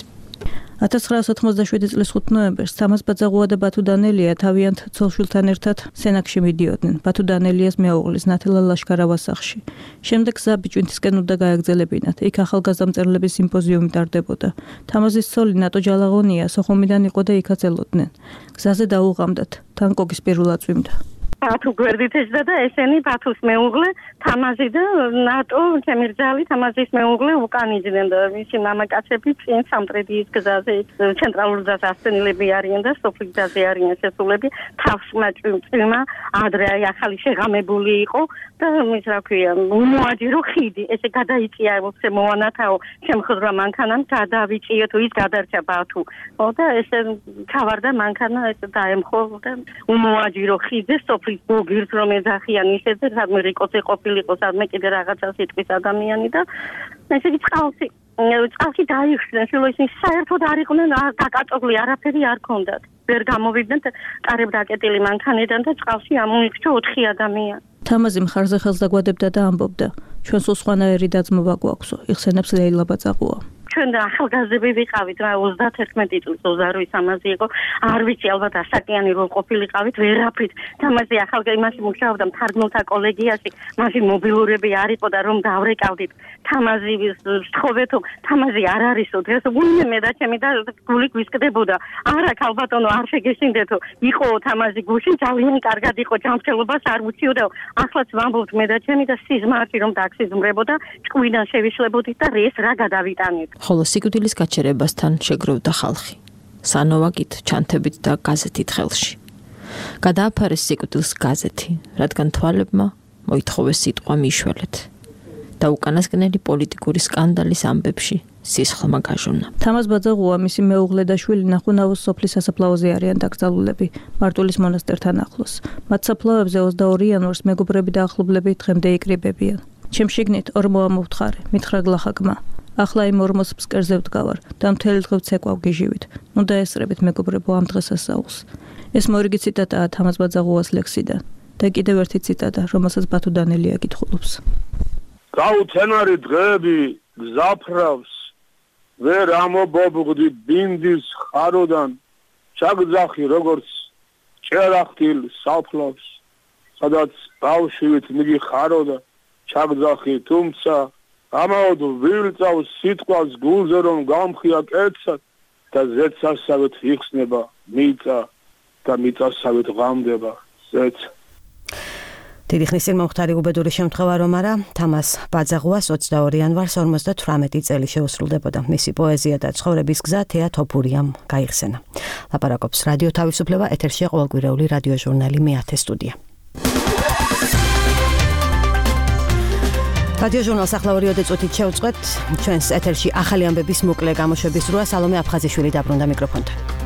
ათას ცხრაას ოთხმოცდაშვიდი წლის ხუთი ნოემბერს თამაზ ბაძაყუა და ბათუ დანელია თავიანთ ცოლ-შვილთან ერთად სენაკში მიდიოდნენ. ბათუ დანელიას მეუღლის ნათელა ლაშქარავას სახლში. შემდეგ გზა ბიჭვინთისკენ უნდა გაეგრძელებინათ. იქ ახალგაზრდა მწერლების სიმპოზიუმი ტარდებოდა. თამაზის ცოლი ნატო ჯალაღონია სოხუმიდან იყო და იქაც ელოდნენ. გზაზე დაუღამდათ. თან კოკის პირულად წვიმდა. ბათუ გვერდით ეჭდა და ესენი ბათუს მეუღლე თამაზი და ნატო ჩემი რძალი თამაზის მეუღლე უკან იჯდნენ და მისი მამაკაცები წინ სამტრედიის გზაზე ცენტრალურ გზაზე ასწენილები არიან და სოფლის გზაზე არიან შესულები თავს მაჭრიმა ადრე აი ახალი შეღამებული იყო და მის რა ქვია უმოაჯირო ხიდი ესე გადაიწია ვთქვი მოვანათაო შემხდრა მანქანამ გადავიწია თუ ის გადარჩა ბათუ და ესე ჩავარდა მანქანა ეს დაემხო და უმოაჯირო ხიდზე სოფლის გოგირს რომ ეძახიან ისეზე სადმე რიკოზე ყოფილიყო სადმე კიდე რაღაცა სიტყვის ადამიანი და ესე იგი წყალში წყალში დაიხსნა შეიძლება ისინი საერთოდ არ იყვნენ დაკაწოკლი არაფერი არ ქონდათ ვერ გამოვიდნენ კარებ დაკეტილი მანქანიდან და წყალში ამოიქჩა ოთხი ადამიანი თამაზი მხარზე ხელს დაგვადებდა და ამბობდა ჩვენ სულ სხვანაირი დაძმობა გვაქვსო იხსენებს ლეილა ბაწაყუა ჩვენ და ახალგაზრდები ვიყავით რა ოცდაათერთმეტი წლის ოცდაორი ამაზე იყო არ ვიცი ალბათ ასაკიანი რო ყოფილიყავით ვერაფრით თამაზი ახალგაზრდა იმაში მუშაობდა მთარგმნელთა კოლეგიაში მაშინ მობილურები არ იყო და რომ დავრეკავდით თამაზი ვთხოვეთო თამაზი არ არისო დღეს გულმე მე და ჩემი და გული გვისკდებოდა არა ქალბატონო არ შეგეშინდეთო იყო თამაზი გულში ძალიან კარგად იყო ჯანმრთელობას არ უჩიოდა ახლაც ვამბობთ მე და ჩემი და სიზმარში რომ დაქსიზმრებოდა ჭკვიდან შევიშლებოდით და ეს რა გადავიტანეთ ხოლო სიკვდილის გაჩერებასთან შეგროვდა ხალხი. სანოვაკით, ჩანთებით და გაზეთით ხელში. გადააფარეს სიკვდილს გაზეთი, რადგან თვალებმა მოითხოვეს სიტყვა მიშველეთ. და უკანასკნელი პოლიტიკური სკანდალის ამბებში სისხლმა გაჟონა. თამაზ ბაძაღუა მისი მეუღლე და შვილი ნახუნავოს სოფლის სასაფლაოზე არიან დაკრძალულები მარტვილის მონასტერთან ახლოს. მათ საფლავებზე ოცდაორი იანვარს მეგობრები და ახლობლები დღემდე იკრიბებიან. ჩემ შიგნით ორმოა მოვთხარი, მითხრა გლახაკმა. ახლა იმ ორმოს ფსკერზე ვდგავარ და მთელი დღე ვცეკვავ გიჟივით. ნუ დაესწრებით მეგობრებო ამ დღესასწაულს. ეს მორიგი ციტატაა თამაზ ბაძაღუას ლექსიდან და კიდევ ერთი ციტატა, რომელსაც ბათუ დანელია კითხულობს. გაუცენარი დღეები გზაფრავს ვერ ამობობღდი ბინდის ხაროდან ჩაგძახი როგორც ჭერახტილ საფლავს სადაც ბავშვით მიგიხარო და ჩაგძახი თუმცა ამაოდ ვილწავს სიტყვას გულზე რომ გამხია კეცად და ზეცასავით იხსნება მიწა და მიწასავით ღამდება ზეც დიდი ხნის წინ მომხდარი უბედური შემთხვევა რომ არა თამაზ ბაძაღუას ოცდაორი იანვარს ორმოცდათვრამეტი წელი შეუსრულდებოდა მისი პოეზია და ცხოვრების გზა თეა თოფურიამ გაიხსენა ლაპარაკობს რადიო თავისუფლება ეთერშია ყოველკვირეული რადიო ჟურნალი მეათე სტუდია რადიო ჟურნალს ახლა ორი წუთით შევწყვეტ ჩვენს ეთერში ახალი ამბების მოკლე გამოშვების როა სალომე აფხაზიშვილი დაბრუნდა მიკროფონთან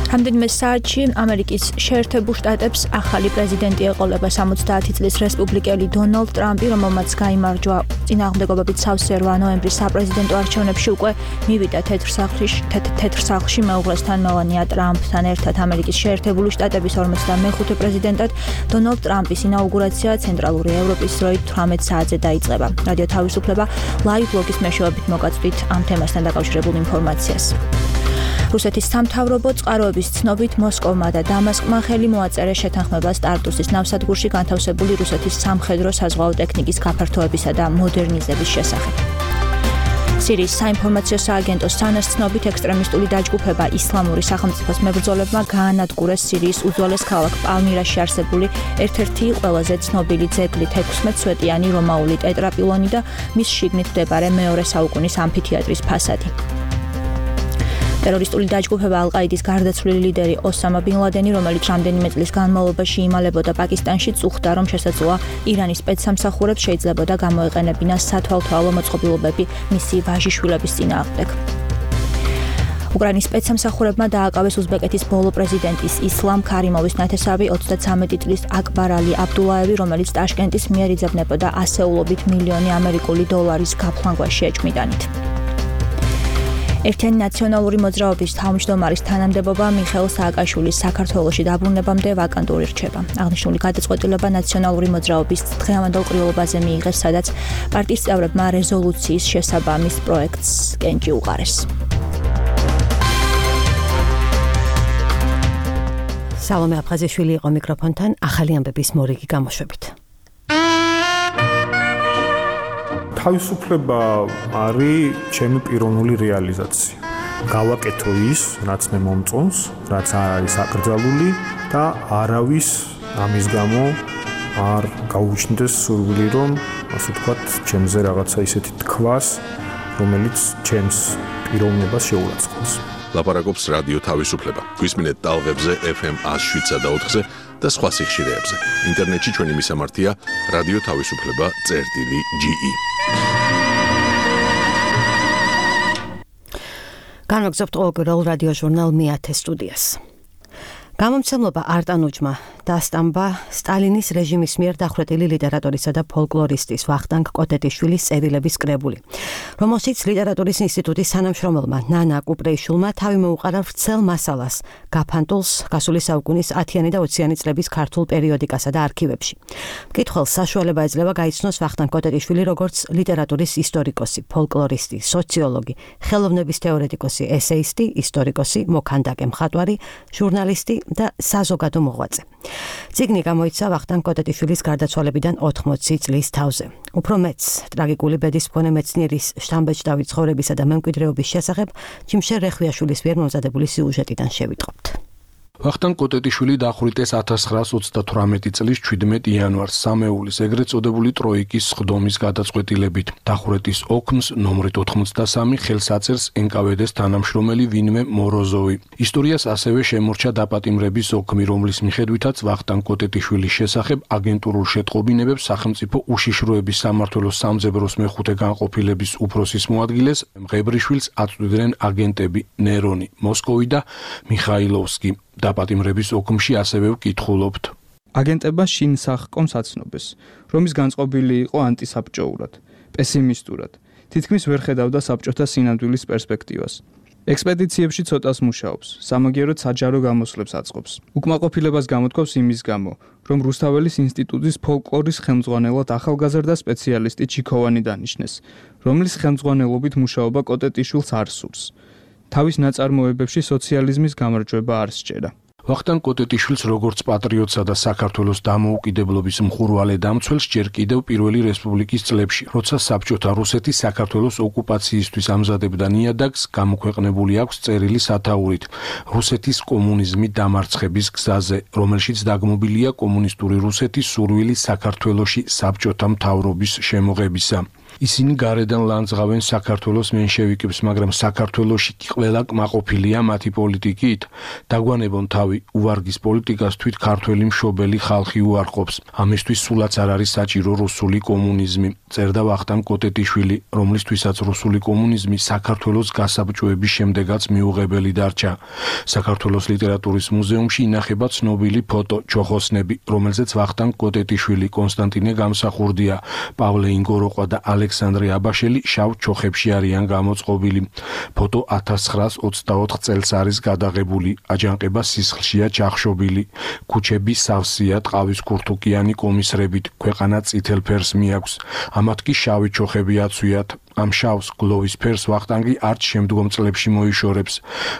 რამდენიმე საათში ამერიკის შეერთებულ შტატებს ახალი პრეზიდენტი ეყოლება სამოცდაათი წლის რესპუბლიკელი დონალდ ტრამპი, რომელმაც გაიმარჯვა წინააღმდეგობებით სავსე რვა ნოემბრის საპრეზიდენტო არჩევნებში უკვე მივიდა თეთრ სახლში, თეთრ სახლში მეუღლესთან მელანია ტრამპთან ერთად ამერიკის შეერთებული შტატების ორმოცდამეხუთე პრეზიდენტად დონალდ ტრამპის ინაუგურაცია ცენტრალური ევროპის დროით თვრამეტ საათზე დაიწყება. რადიო თავისუფლება ლაივ ბლოგის მეშვეობით მოგაწვდით ამ თემასთან დაკავშირებულ ინფორმაციას. რუსეთის სამთავრობო წყაროების ცნობით მოსკოვმა და დამასკმა ხელი მოაწერა შეთანხმებას ტარტუსის ნავსადგურში განთავსებული რუსეთის სამხედრო საზღვაო ტექნიკის გაფართოებისა და მოდერნიზების შესახებ. სირიის საინფორმაციო სააგენტოს სანას ცნობით ექსტრემისტული დაჯგუფება ისლამური სახელმწიფოს მებრძოლებმა გაანადგურეს სირიის უძველეს ქალაქ პალმირაში არსებული ერთ-ერთი ყველაზე ცნობილი ძეგლი თექვსმეტსვეტიანი რომაული ტეტრაპილონი და მის შიგნით მდებარე მეორე საუკუნის ამფითეატრის ფასადი. ტერორისტული დაჯგუფება ალ-ყაიდის გარდაცვლილი ლიდერი ოსამა ბინ ლადენი, რომელიც რამდენიმე წლის განმავლობაში იმალებოდა პაკისტანში, წუხდა, რომ შესაძლოა ირანის სპეცსამსახურებს შეიძლებოდა გამოეყენებინას სათვალთვალო მოწყობილობები მისი ვაჟიშვილების წინააღმდეგ. უკრაინის სპეცსამსახურებმა დააკავეს უზბეკეთის ბოლო პრეზიდენტის ისლამ ქარიმოვის ნათესავი ოცდაცამეტი წლის აკბარ ალი აბდულაევი, რომელიც ტაშკენტის მიერ იძებნებოდა ასეულობით მილიონი ამერიკული დოლარის გაფლანგვაში ეჭმიდანით. ერთიანი ნაციონალური მოძრაობის თავმჯდომარის თანამდებობა მიხეილ სააკაშვილის საქართველოში დაბრუნებამდე ვაკანტური რჩება. აღნიშნული გადაწყვეტილება ნაციონალური მოძრაობის დღევანდელ ყრილობაზე მიიღეს, სადაც პარტიის წევრებმა რეზოლუციის შესაბამის პროექტს კენჭი უყარეს. სალომე აფხაზიშვილი იყო მიკროფონთან ახალი ამბების მორიგი გამოშვებით. თავისუფლება არის ჩემი პიროვნული რეალიზაცია. გავაკეთო ის, რაც მე მომწონს, რაც არ არის აკრძალული და არავის ამის გამო არ გაუჩნდეს სურვილი, რომ ასე ვთქვათ, ჩემზე რაღაცა ისეთი თქვას, რომელიც ჩემს პიროვნებას შეურაცხყოფს. ლაპარაკობს რადიო თავისუფლება. გვისმინეთ ტალღებზე ეფ ემ one oh seven და four და სხვა სიხშირეებზე. ინტერნეტში ჩვენი მისამართია რადიო თავისუფლება წერტილი ჯი ი. განვაგრძობთ ყოველკვირეულ რადიო ჟურნალ მეათე სტუდიას. გამომცემლობა არტანუჯმა დასტამბა სტალინის რეჟიმის მიერ დახვრეტილი ლიტერატურისა და ფოლკლორისტის ვახტანგ კოტეტიშვილის წერილების კრებული, რომელშიც ლიტერატურის ინსტიტუტის თანამშრომელმა ნანა კუპრეიშვილმა თავი მოუყარა ვრცელ მასალას, გაფანტულს გასული საუკუნის ათიანი და ოციანი წლების ქართულ პერიოდიკასა და არქივებში. მკითხველს საშუალება ეძლევა გაიცნოს ვახტანგ კოტეტიშვილი როგორც ლიტერატურის ისტორიკოსი, ფოლკლორისტი, სოციოლოგი, ხელოვნების თეორეტიკოსი, ესეისტი, ისტორიკოსი, მოქანდაკე, მხატვარი, ჟურნალისტი და საზოგადო მოღვაწე. წიგნი გამოიცა ვახტანგ კოტეტიშვილის გარდაცვალებიდან ოთხმოცი წლის თავზე. უფრო მეც ტრაგიკული ბედის მქონე მეცნიერის შთამბეჭდავი ცხოვრებისა და მემკვიდრეობის შესახებ ჯიმშერ რეხვიაშვილის მიერ მომზადებული სიუჟეტიდან შევიტყობთ. ვახტანგ კოტეტიშვილი დახვრიტეს ათას ცხრაას ოცდათვრამეტი წლის ჩვიდმეტი იანვარს სამეულის ეგრეთ წოდებული ტროიკის სხდომის გადაწყვეტილებით. დახვრეტის ოქმს ნომრით ოთხმოცდასამი ხელს აწერს ენ კა ვე დე-ს თანამშრომელი ვინმე მოროზოვი. ისტორიას ასევე შემორჩა დაპატიმრების ოქმი, რომლის მიხედვითაც ვახტანგ კოტეტიშვილის შესახებ აგენტურულ შეტყობინებებს სახელმწიფო უშიშროების სამმართველოს სამძებროს მეხუთე განყოფილების უფროსის მოადგილეს მღებრიშვილს აწვდიდნენ აგენტები ნერონი, მოსკოვი და მიხაილოვსკი. დაპატიმრების ოქმში ასევე ვკითხულობთ. აგენტება შინ სახკომს აცნობეს, რომ ის განწყობილი იყო ანტისაბჭოურად, პესიმისტურად, თითქმის ვერ ხედავდა საბჭოთა სინამდვილის პერსპექტივას. ექსპედიციებში ცოტას მუშაობს, სამაგიეროდ საჯარო გამოსვლებს აწყობს. უკმაყოფილებას გამოთქვავს იმის გამო, რომ რუსთაველის ინსტიტუტის ფოლკლორის ხელმძღვანელად ახალგაზრდა სპეციალისტი ჩიქოვანი დანიშნეს, რომლის ხელმძღვანელობით მუშაობა კოტეტიშვილს არ სურს. თავის ნაწარმოებებში სოციალიზმის გამარჯვება არ სჯერა. ვახტანგ კოტეტიშვილს როგორც პატრიოტსა და საქართველოს დამოუკიდებლობის მხურვალე დამცველს ჯერ კიდევ პირველი რესპუბლიკის წლებში, როცა საბჭოთა რუსეთი საქართველოს ოკუპაციისთვის ამზადებდა ნიადაგს, გამოქვეყნებული აქვს წერილი სათაურით რუსეთის კომუნიზმი დამარცხების გზაზე, რომელშიც დაგმობილია კომუნისტური რუსეთის სურვილი საქართველოში საბჭოთა მთავრობის შემოღებისა. ისინი გარედან ლანძღავენ საქართველოს მენშევიკებს, მაგრამ საქართველოში კი ყველა კმაყოფილია მათი პოლიტიკით. დაგვანებონ თავი უვარგის პოლიტიკას თვით ქართველი მშობელი ხალხი უარყოფს. ამისთვის სულაც არ არის საჭირო რუსული კომუნიზმი. წერდა ვახტანგ კოტეტიშვილი, რომლისთვისაც რუსული კომუნიზმი საქართველოს გასაბჭოების შემდეგაც მიუღებელი დარჩა. საქართველოს ლიტერატურის მუზეუმში ინახება ცნობილი ფოტო ჩოხოსნები, რომელზეც ვახტანგ კოტეტიშვილი, კონსტანტინე გამსახურდია, პავლე ინგოროყვა და ალექსანდრე აბაშელი შავ ჩოხებში არიან გამოწყობილი. ფოტო ათას ცხრაას ოცდაოთხ წელს არის გადაღებული. აჯანყება სისხლშია ჩახშობილი. ქუჩები სავსეა ტყავის ქურთუკიანი კომისრებით, ქვეყანა წითელ ფერს მიაქვს. ამათ კი შავი ჩოხები აცვიათ. ამ შავს გლოვის ფერს ვახტანგი არც შემდგომ წლებში მოიშორებს,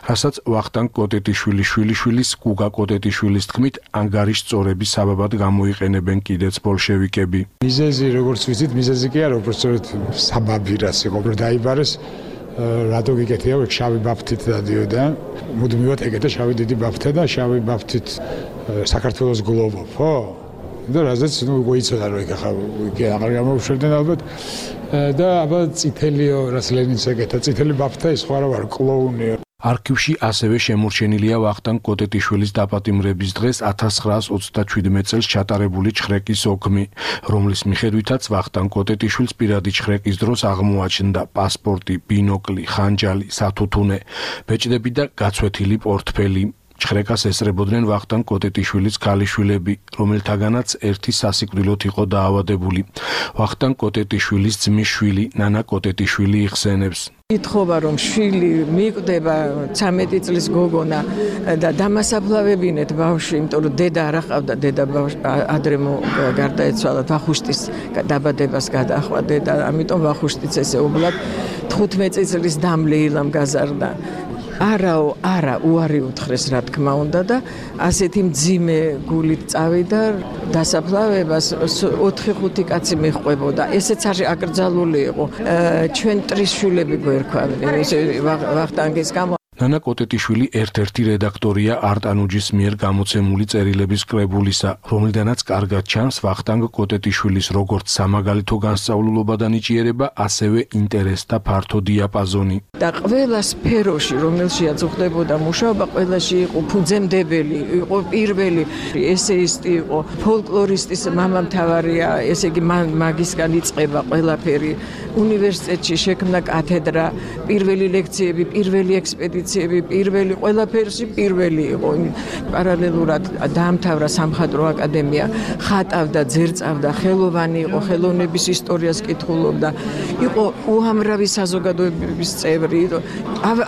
რასაც ვახტანგ კოტეტიშვილის შვილიშვილის გუგა კოტეტიშვილის თქმით ანგარის წორების საბაბად გამოიყენებენ კიდეც ბოლშევიკები. მიზეზი როგორც ვიცით, მიზეზი კი არა, უბრალოდ საბაბი რაც იყო, რომ დაიბარეს რატო გიკეთია, შავი ბაფთით დადიოდა. მუდმივად ეკეთა შავი დიდი ბაფთა და შავი ბაფთით საქართველოს გლოვო, ხო? და რაზეც ნუ გოიცოდა რომ იქ ახლა იქ აღარ გამოუშვებდნენ ალბათ და აბა წითელიო რაც ლენინს ეკეთა წითელი ბაფთა ის სხვა რა ვარ კლოუნიო. არქივში ასევე შემორჩენილია ვახტანგ კოტეტიშვილის დაპატიმრების დღეს ათას ცხრაას ოცდაშვიდმეტ წელს ჩატარებული ჩხრეკის ოქმი, რომლის მიხედვითაც ვახტანგ კოტეტიშვილს პირადი ჩხრეკის დროს აღმოაჩნდა პასპორტი, ბინოკლი, ხანჯალი, სათუთუნე, ბეჭდები და გაცვეთილი პორტფელი. ჩხრეკას ესწრებოდნენ ვახტანგ კოტეტიშვილის ქალიშვილები, რომელთაგანაც ერთი სასიკვდილოდ იყო დაავადებული. ვახტანგ კოტეტიშვილის ძმის შვილი, ნანა კოტეტიშვილი იხსენებს. ითხოვა რომ შვილი მიკვდება ცამეტი წლის გოგონა და დამასაფლავებინეთ ბავშვი, იმიტომ რომ დედა არ აყავდა, დედა ადრე გარდაეცვალა, ვახუშტის დაბადებას გადაახვა დედა, ამიტომ ვახუშტიც ესეუბნად თხუთმეტი წლის დამლე ილამ გაზარდა. არაო, არა, უარი უთხრეს, რა თქმა უნდა და ასეთი მძიმე გულით წავიდა დასაფლავებას ოთხი ხუთი კაცი მიჰყვებოდა. ესეც არ აკრძალული იყო. ჩვენ ტრის შვილები გვერქვავდნენ ვახტანგის გამო. ნანა კოტეტიშვილი ერთ-ერთი რედაქტორია არტანუჯის მიერ გამოცემული წერილების კრებულისა, რომლიდანაც კარგად ჩანს ვახტანგ კოტეტიშვილის როგორც სამაგალითო განსწავლულობა და ნიჭიერება, ასევე ინტერესთა ფართო დიაპაზონი. და ყველა სფეროში, რომელშიაც უხდებოდა მუშაობა, ყველაში იყო ფუძემდებელი, იყო პირველი ესეისტი, იყო ფოლკლორისტის მამამთავარია, ესე იგი მაგისგან იწყება ყველაფერი. უნივერსიტეტში შექმნა კათედრა, პირველი ლექციები, პირველი ექსპედიციები, პირველი ყველაფერში პირველი იყო. პარალელურად დაამთავრა სამხატვრო აკადემია, ხატავდა, ძერწავდა, ხელოვანი იყო, ხელოვნების ისტორიას კითხულობდა. იყო უამრავი საზოგადოებების წევრი.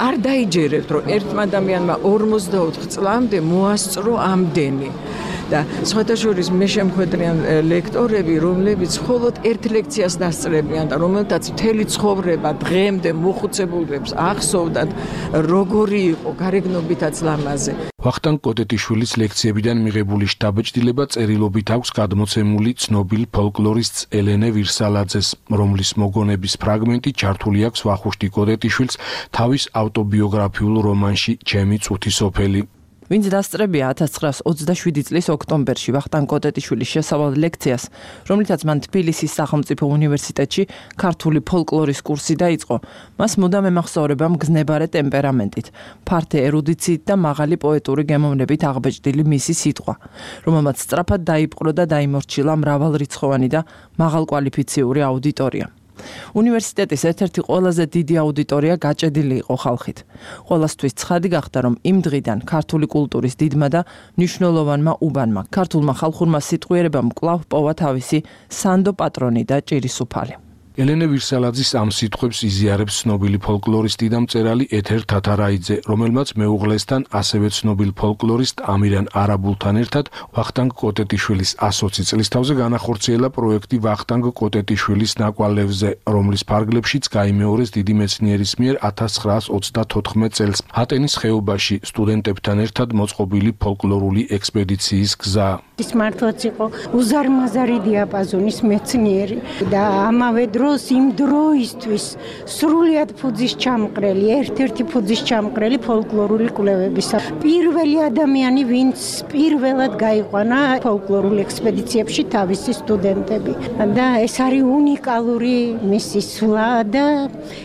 არ დაიჯერებთ, რომ ერთმა ადამიანმა ორმოცდაოთხ წლამდე მოასწრო ამდენი. და სხვათა შორის მე შემხვედრიან ლექტორები, რომლებიც მხოლოდ ერთ ლექციას დასწრებიან და რომელთაც მთელი ცხოვრება დღემდე მოხუცებულებს ახსოვდათ, როგორი იყო გარეგნობითაც ლამაზე. ვახტანგ კოტეტიშვილის ლექციებიდან მიღებული შთაბეჭდილება წერილობით აქვს გადმოცემული ცნობილ ფოლკლორისტს ელენე ვირსალაძეს, რომლის მოგონების ფრაგმენტი ჩართული აქვს ვახუშტი კოტეტიშვილს თავის ავტობიოგრაფიულ რომანში ჩემი წუთი სოფელი. ვინც დასწრებია ათას ცხრაას ოცდაშვიდი წლის ოქტომბერში ვახტანგ კოტეტიშვილის შესავალ ლექციას, რომლითაც მან თბილისის სახელმწიფო უნივერსიტეტში ქართული ფოლკლორის კურსი დაიწყო, მას მუდამ ემახსოვრება მგზნებარე ტემპერამენტით, ფართე ერუდიციით და მაღალი პოეტური გემოვნებით აღბეჭდილი მისი სიტყვა, რომელმაც სწრაფად დაიპყრო და დაიმორჩილა მრავალრიცხოვანი და მაღალკვალიფიციური აუდიტორია. უნივერსიტეტის ერთ-ერთი ყველაზე დიდი აუდიტორია გაჭედილი იყო ხალხით. ყველასთვის ცხადი გახდა, რომ იმ დღიდან ქართული კულტურის დიდმა და მნიშვნელოვანმა უბანმა, ქართულმა ხალხურმა სიტყვიერებამ კვლავ პოვა თავისი სანდო პატრონი და ჭირისუფალი. ელენე ვირსალაძის ამ სიტყვებს იზიარებს ცნობილი ფოლკლორისტი და მწერალი ეთერ თათარაიძე, რომელმაც მეუღლესთან ასევე ცნობილ ფოლკლორისტ ამირან არაბულთან ერთად ვახტანგ კოტეტიშვილის ასოცი წლისთავზე განახორციელა პროექტი ვახტანგ კოტეტიშვილის ნაკვალევზე, რომლის ფარგლებშიც გაიმეორეს დიდი მეცნიერის მიერ ათას ცხრაას ოცდათოთხმეტ წელს ატენის ხეობაში სტუდენტებთან ერთად მოწყობილი ფოლკლორული ექსპედიციის გზა. ის მართლაც იყო უზარმაზარი დიაპაზონის მეცნიერი და ამავე დროს იმ დროისთვის სრულიად ფუძის ჩამყრელი, ერთ-ერთი ფუძის ჩამყრელი ფოლკლორული კვლევებისა. პირველი ადამიანი, ვინც პირველად გაიყვანა ფოლკლორულ ექსპედიციებში თავისი სტუდენტები. და ეს არის უნიკალური მისი სვლა და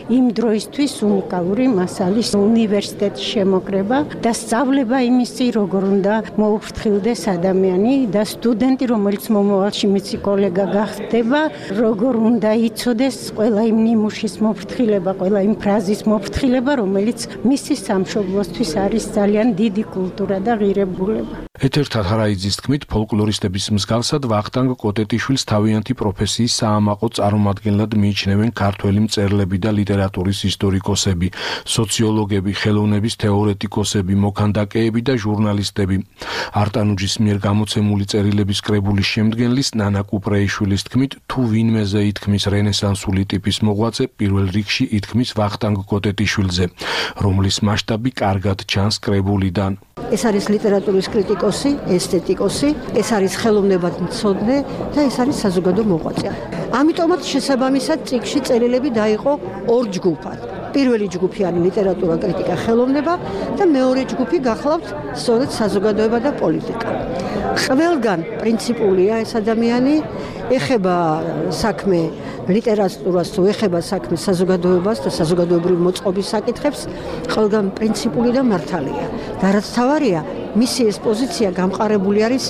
იმ დროისთვის უნიკალური მასალის უნივერსიტეტის შემოკრება და სწავლება იმისი, როგორ უნდა მოუფრთხილდეს ადამიანი და სტუდენტი, რომელიც მომავალში მისი კოლეგა გახდება, როგორ უნდა იცოდეს ყველა იმ ნიმუშის მოფრთხილება, ყველა იმ ფრაზის მოფრთხილება, რომელიც მისი სამშობლოსთვის არის ძალიან დიდი კულტურა და ღირებულება. ეთერ თათარაიძის თქმით, ფოლკლორისტების მსგავსად ვახტანგ კოტეტიშვილს თავიანთი პროფესიის საამაყო წარმომადგენლად მიიჩნევენ ქართველი მწერლები და ლიტერატურის ისტორიკოსები, სოციოლოგები, ხელოვნების თეორეტიკოსები, მოქანდაკეები და ჟურნალისტები. არტანუჯის მიერ გამოცემული წერილების კრებულის შემდგენლის ნანა კუპრეიშვილის თქმით, თუ ვინმეზე ითქმის რენესანსული ტიპის მოღვაწე, პირველ რიგში ითქმის ვახტანგ კოტეტიშვილზე, რომლის მასშტაბი კარგად ჩანს კრებულიდან. ეს არის ლიტერატურის კრიტიკოსი, ესთეტიკოსი, ეს არის ხელოვნებათმცოდნე და ეს არის საზოგადო მოღვაწე. ამიტომაც შესაბამისად წიგნში წერილები დაიყო ორ ჯგუფად. პირველი ჯგუფი არის ლიტერატურა, კრიტიკა, ხელოვნება და მეორე ჯგუფი გახლავთ სწორედ საზოგადოება და პოლიტიკა. ყველგან პრინციპულია ეს ადამიანი, ეხება საქმე ლიტერატურას, თუ ეხება საქმე საზოგადოებას და საზოგადოებრივი მოწყობის საკითხებს, ყველგან პრინციპული და მართალია. და რაც თავარია, მისი ეს პოზიცია გამყარებული არის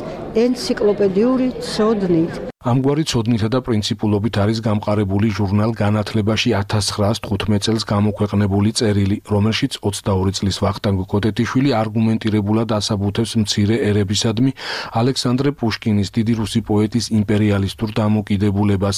ენციკლოპედიური ცოდნით. ამგვარი ცოდნითა და პრინციპულობით არის გამყარებული ჟურნალ განათლებაში ათას ცხრაას თხუთმეტ წელს გამოქვეყნებული წერილი, რომელშიც ოცდაორი წლის ვახტანგ კოტეტიშვილი არგუმენტირებულად ასაბუთებს მცირე ერებისადმი ალექსანდრე პუშკინის, დიდი რუსი პოეტის იმპერიალისტურ დამოკიდებულებას.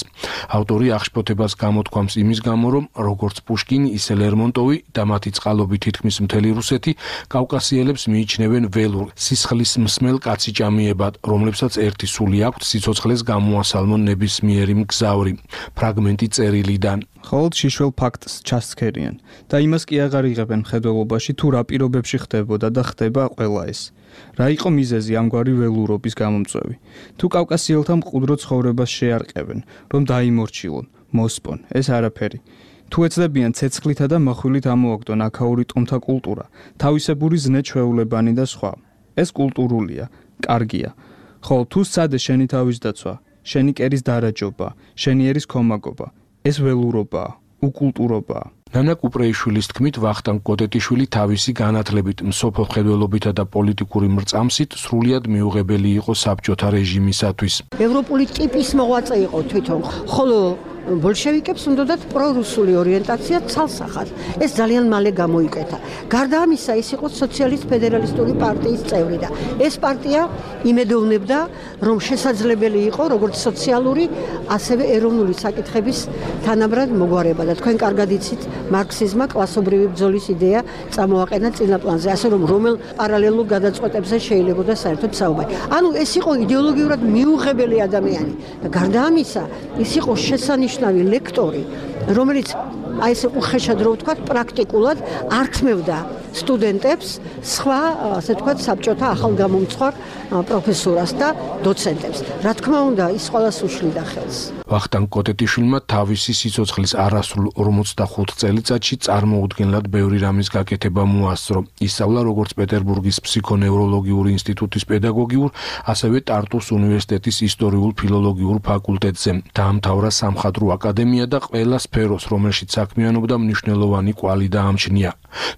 ავტორი აღშფოთებას გამოთქვამს იმის გამო, რომ როგორც პუშკინი, ისე ლერმონტოვი და მათი წყალობით თითქმის მთელი რუსეთი კავკასიელებს მიიჩნევენ ველურ, სისხლის მსმელ კაციჭამიებად, რომლებსაც ერთი სული აქვთ სიცოცხლეს გამო გამოასალმო ნებისმიერი მგზავრი. ფრაგმენტი წერილიდან. ხოლოდ შიშველ ფაქტს ჩასცქერიან და იმას კი აღარ იღებენ მხედველობაში, თუ რა პირობებში ხდებოდა და ხდება ყველა ეს. რა იყო მიზეზი ამგვარი ველურობის გამომწვევი? თუ კავკასიელთა მყუდრო ცხოვრებას შეარყევენ, რომ დაიმორჩილონ, მოსპონ, ეს არაფერი. თუ ეცდებიან ცეცხლითა და მოხვილით ამოაგდონ აქაური ტომთა კულტურა, თავისებური ზნე ჩვეულებანი და სხვა. ეს კულტურულია, კარგია. ხოლო თუ სცადე შენი თავის დაცვა, შენი კერის დარაჯობა, შენი ერის ქომაგობა, ეს ველურობაა, უკულტურობაა. ნანა კუპრეიშვილის თქმით, ვახტანგ კოტეტიშვილი თავისი განათლებით, მსოფლო მხედველობითა და პოლიტიკური მრწამსით სრულიად მიუღებელი იყო საბჭოთა რეჟიმისათვის. ევროპული ტიპის მოღვაწე იყო თვითონ, ხოლო ბოლშევიკებს უნდათ პრორუსული ორიენტაცია ცალსახად. ეს ძალიან მალე გამოიკეთა. გარდა ამისა, ის იყო სოციალისტ-ფედერალისტური პარტიის წევრი და ეს პარტია იმედოვნებდა, რომ შესაძლებელი იყო როგორც სოციალური, ასევე ეროვნული საკითხების თანაბრად მოგვარება და თქვენ კარგად იცით, მარქსიზმმა კლასობრივი ბრძოლის იდეა წამოაყენა წინაპლანზე, ასე რომ რომელ პარალელურ გადაწყვეტებზე შეიძლებოდა საერთოდ საუბარი. ანუ ეს იყო იდეოლოგიურად მიუღებელი ადამიანი და გარდა ამისა, ის იყო შესანიშნავი ლექტორი, რომელიც აი ესე უხეშად რო ვთქვათ, პრაქტიკულად ართმევდა სტუდენტებს სხვა, ასე ვთქვათ, საბჭოთა ახალგამომცხვარ პროფესორას და დოცენტებს. რა თქმა უნდა, ის ყველას უშლიდა ხელს. ვახტანგ კოტეტიშვილმა თავისი სიცოცხლის არასრულ ორმოცდახუთ წელიწადში წარმოუდგენლად ბევრი რამის გაკეთება მოასწრო. ისწავლა როგორც პეტერბურგის ფსიქონევროლოგიური ინსტიტუტის პედაგოგიურ, ასევე ტარტუს უნივერსიტეტის ისტორიულ-ფილოლოგიურ ფაკულტეტზე. დაამთავრა სამხატვრო აკადემია და ყველა სფეროს, რომელშიც საქმიანობდა, მნიშვნელოვანი კვალი დაამჩნია.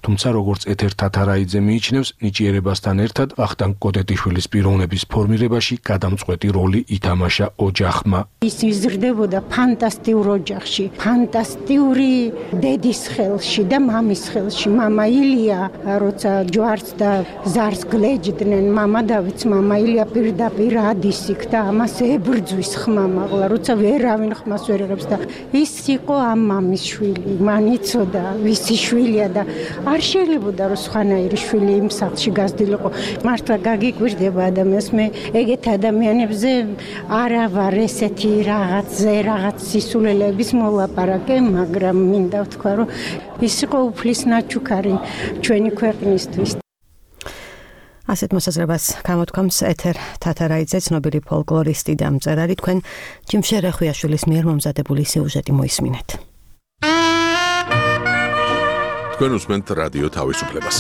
თუმცა როგორც ეთერ თათარაიძე მიიჩნევს, ნიჭიერებასთან ერთად ვახტანგ კოტეტიშვილის პიროვნების ფორმირებაში გადამწყვეტი როლი ითამაშა ოჯახმა. ის იზრდებოდა ფანტასტიურ ოჯახში, ფანტასტიური დედის ხელში და მამის ხელში. მამა ილია, როცა ჯვარს და ზარს გლეჯდნენ, მამა დავიც, მამა ილია პირდაპირ ადის იქ და ამას ებრძვის ხმამაღლა, როცა ვერავინ ხმას ვერ იღებს და ის იყო ამ მამის შვილი, მან იცოდა ვისი შვილია და არ შეიძლებოდა რომ სხვანაირი შვილი იმ სახლში გაზრდილიყო. მართლა გაგიკვირდება ადამიანს, მე ეგეთ ადამიანებზე არა ვარ ესეთი რაღაცზე რაღაც სისულელების მოლაპარაკე, მაგრამ მინდა ვთქვა, რომ ის იყო უფლის ნაჩუქარი ჩვენი ქვეყნისთვის. ასეთ მოსაზრებას გამოთქვამს ეთერ თათარაიძე, ცნობილი ფოლკლორისტი და მწერალი. თქვენ ჯიმშე რეხვიაშვილის მიერ მომზადებული სიუჟეტი მოისმინეთ. თქვენ უსმენთ რადიო თავისუფლებას.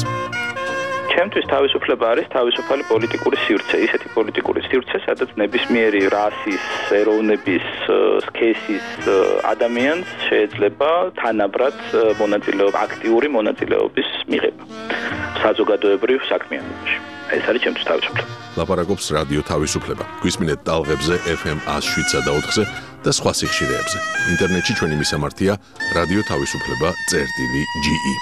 ჩემთვის თავისუფლება არის თავისუფალი პოლიტიკური სივრცე, ისეთი პოლიტიკური სივრცე, სადაც ნებისმიერი რასის, ეროვნების, სქესის ადამიანს შეიძლება თანაბრად მონაწილეობა, აქტიური მონაწილეობის მიღება საზოგადოებრივ საქმიანობაში. ეს არის ჩემთვის თავისუფლება. ლაპარაკობს რადიო თავისუფლება. გვისმინეთ ტალღებზე ეფ ემ one oh seven და ოთხზე და სხვა სიხშირეებზე. ინტერნეტში ჩვენი მისამართია რადიო თავისუფლება წერტილი ჯი ი.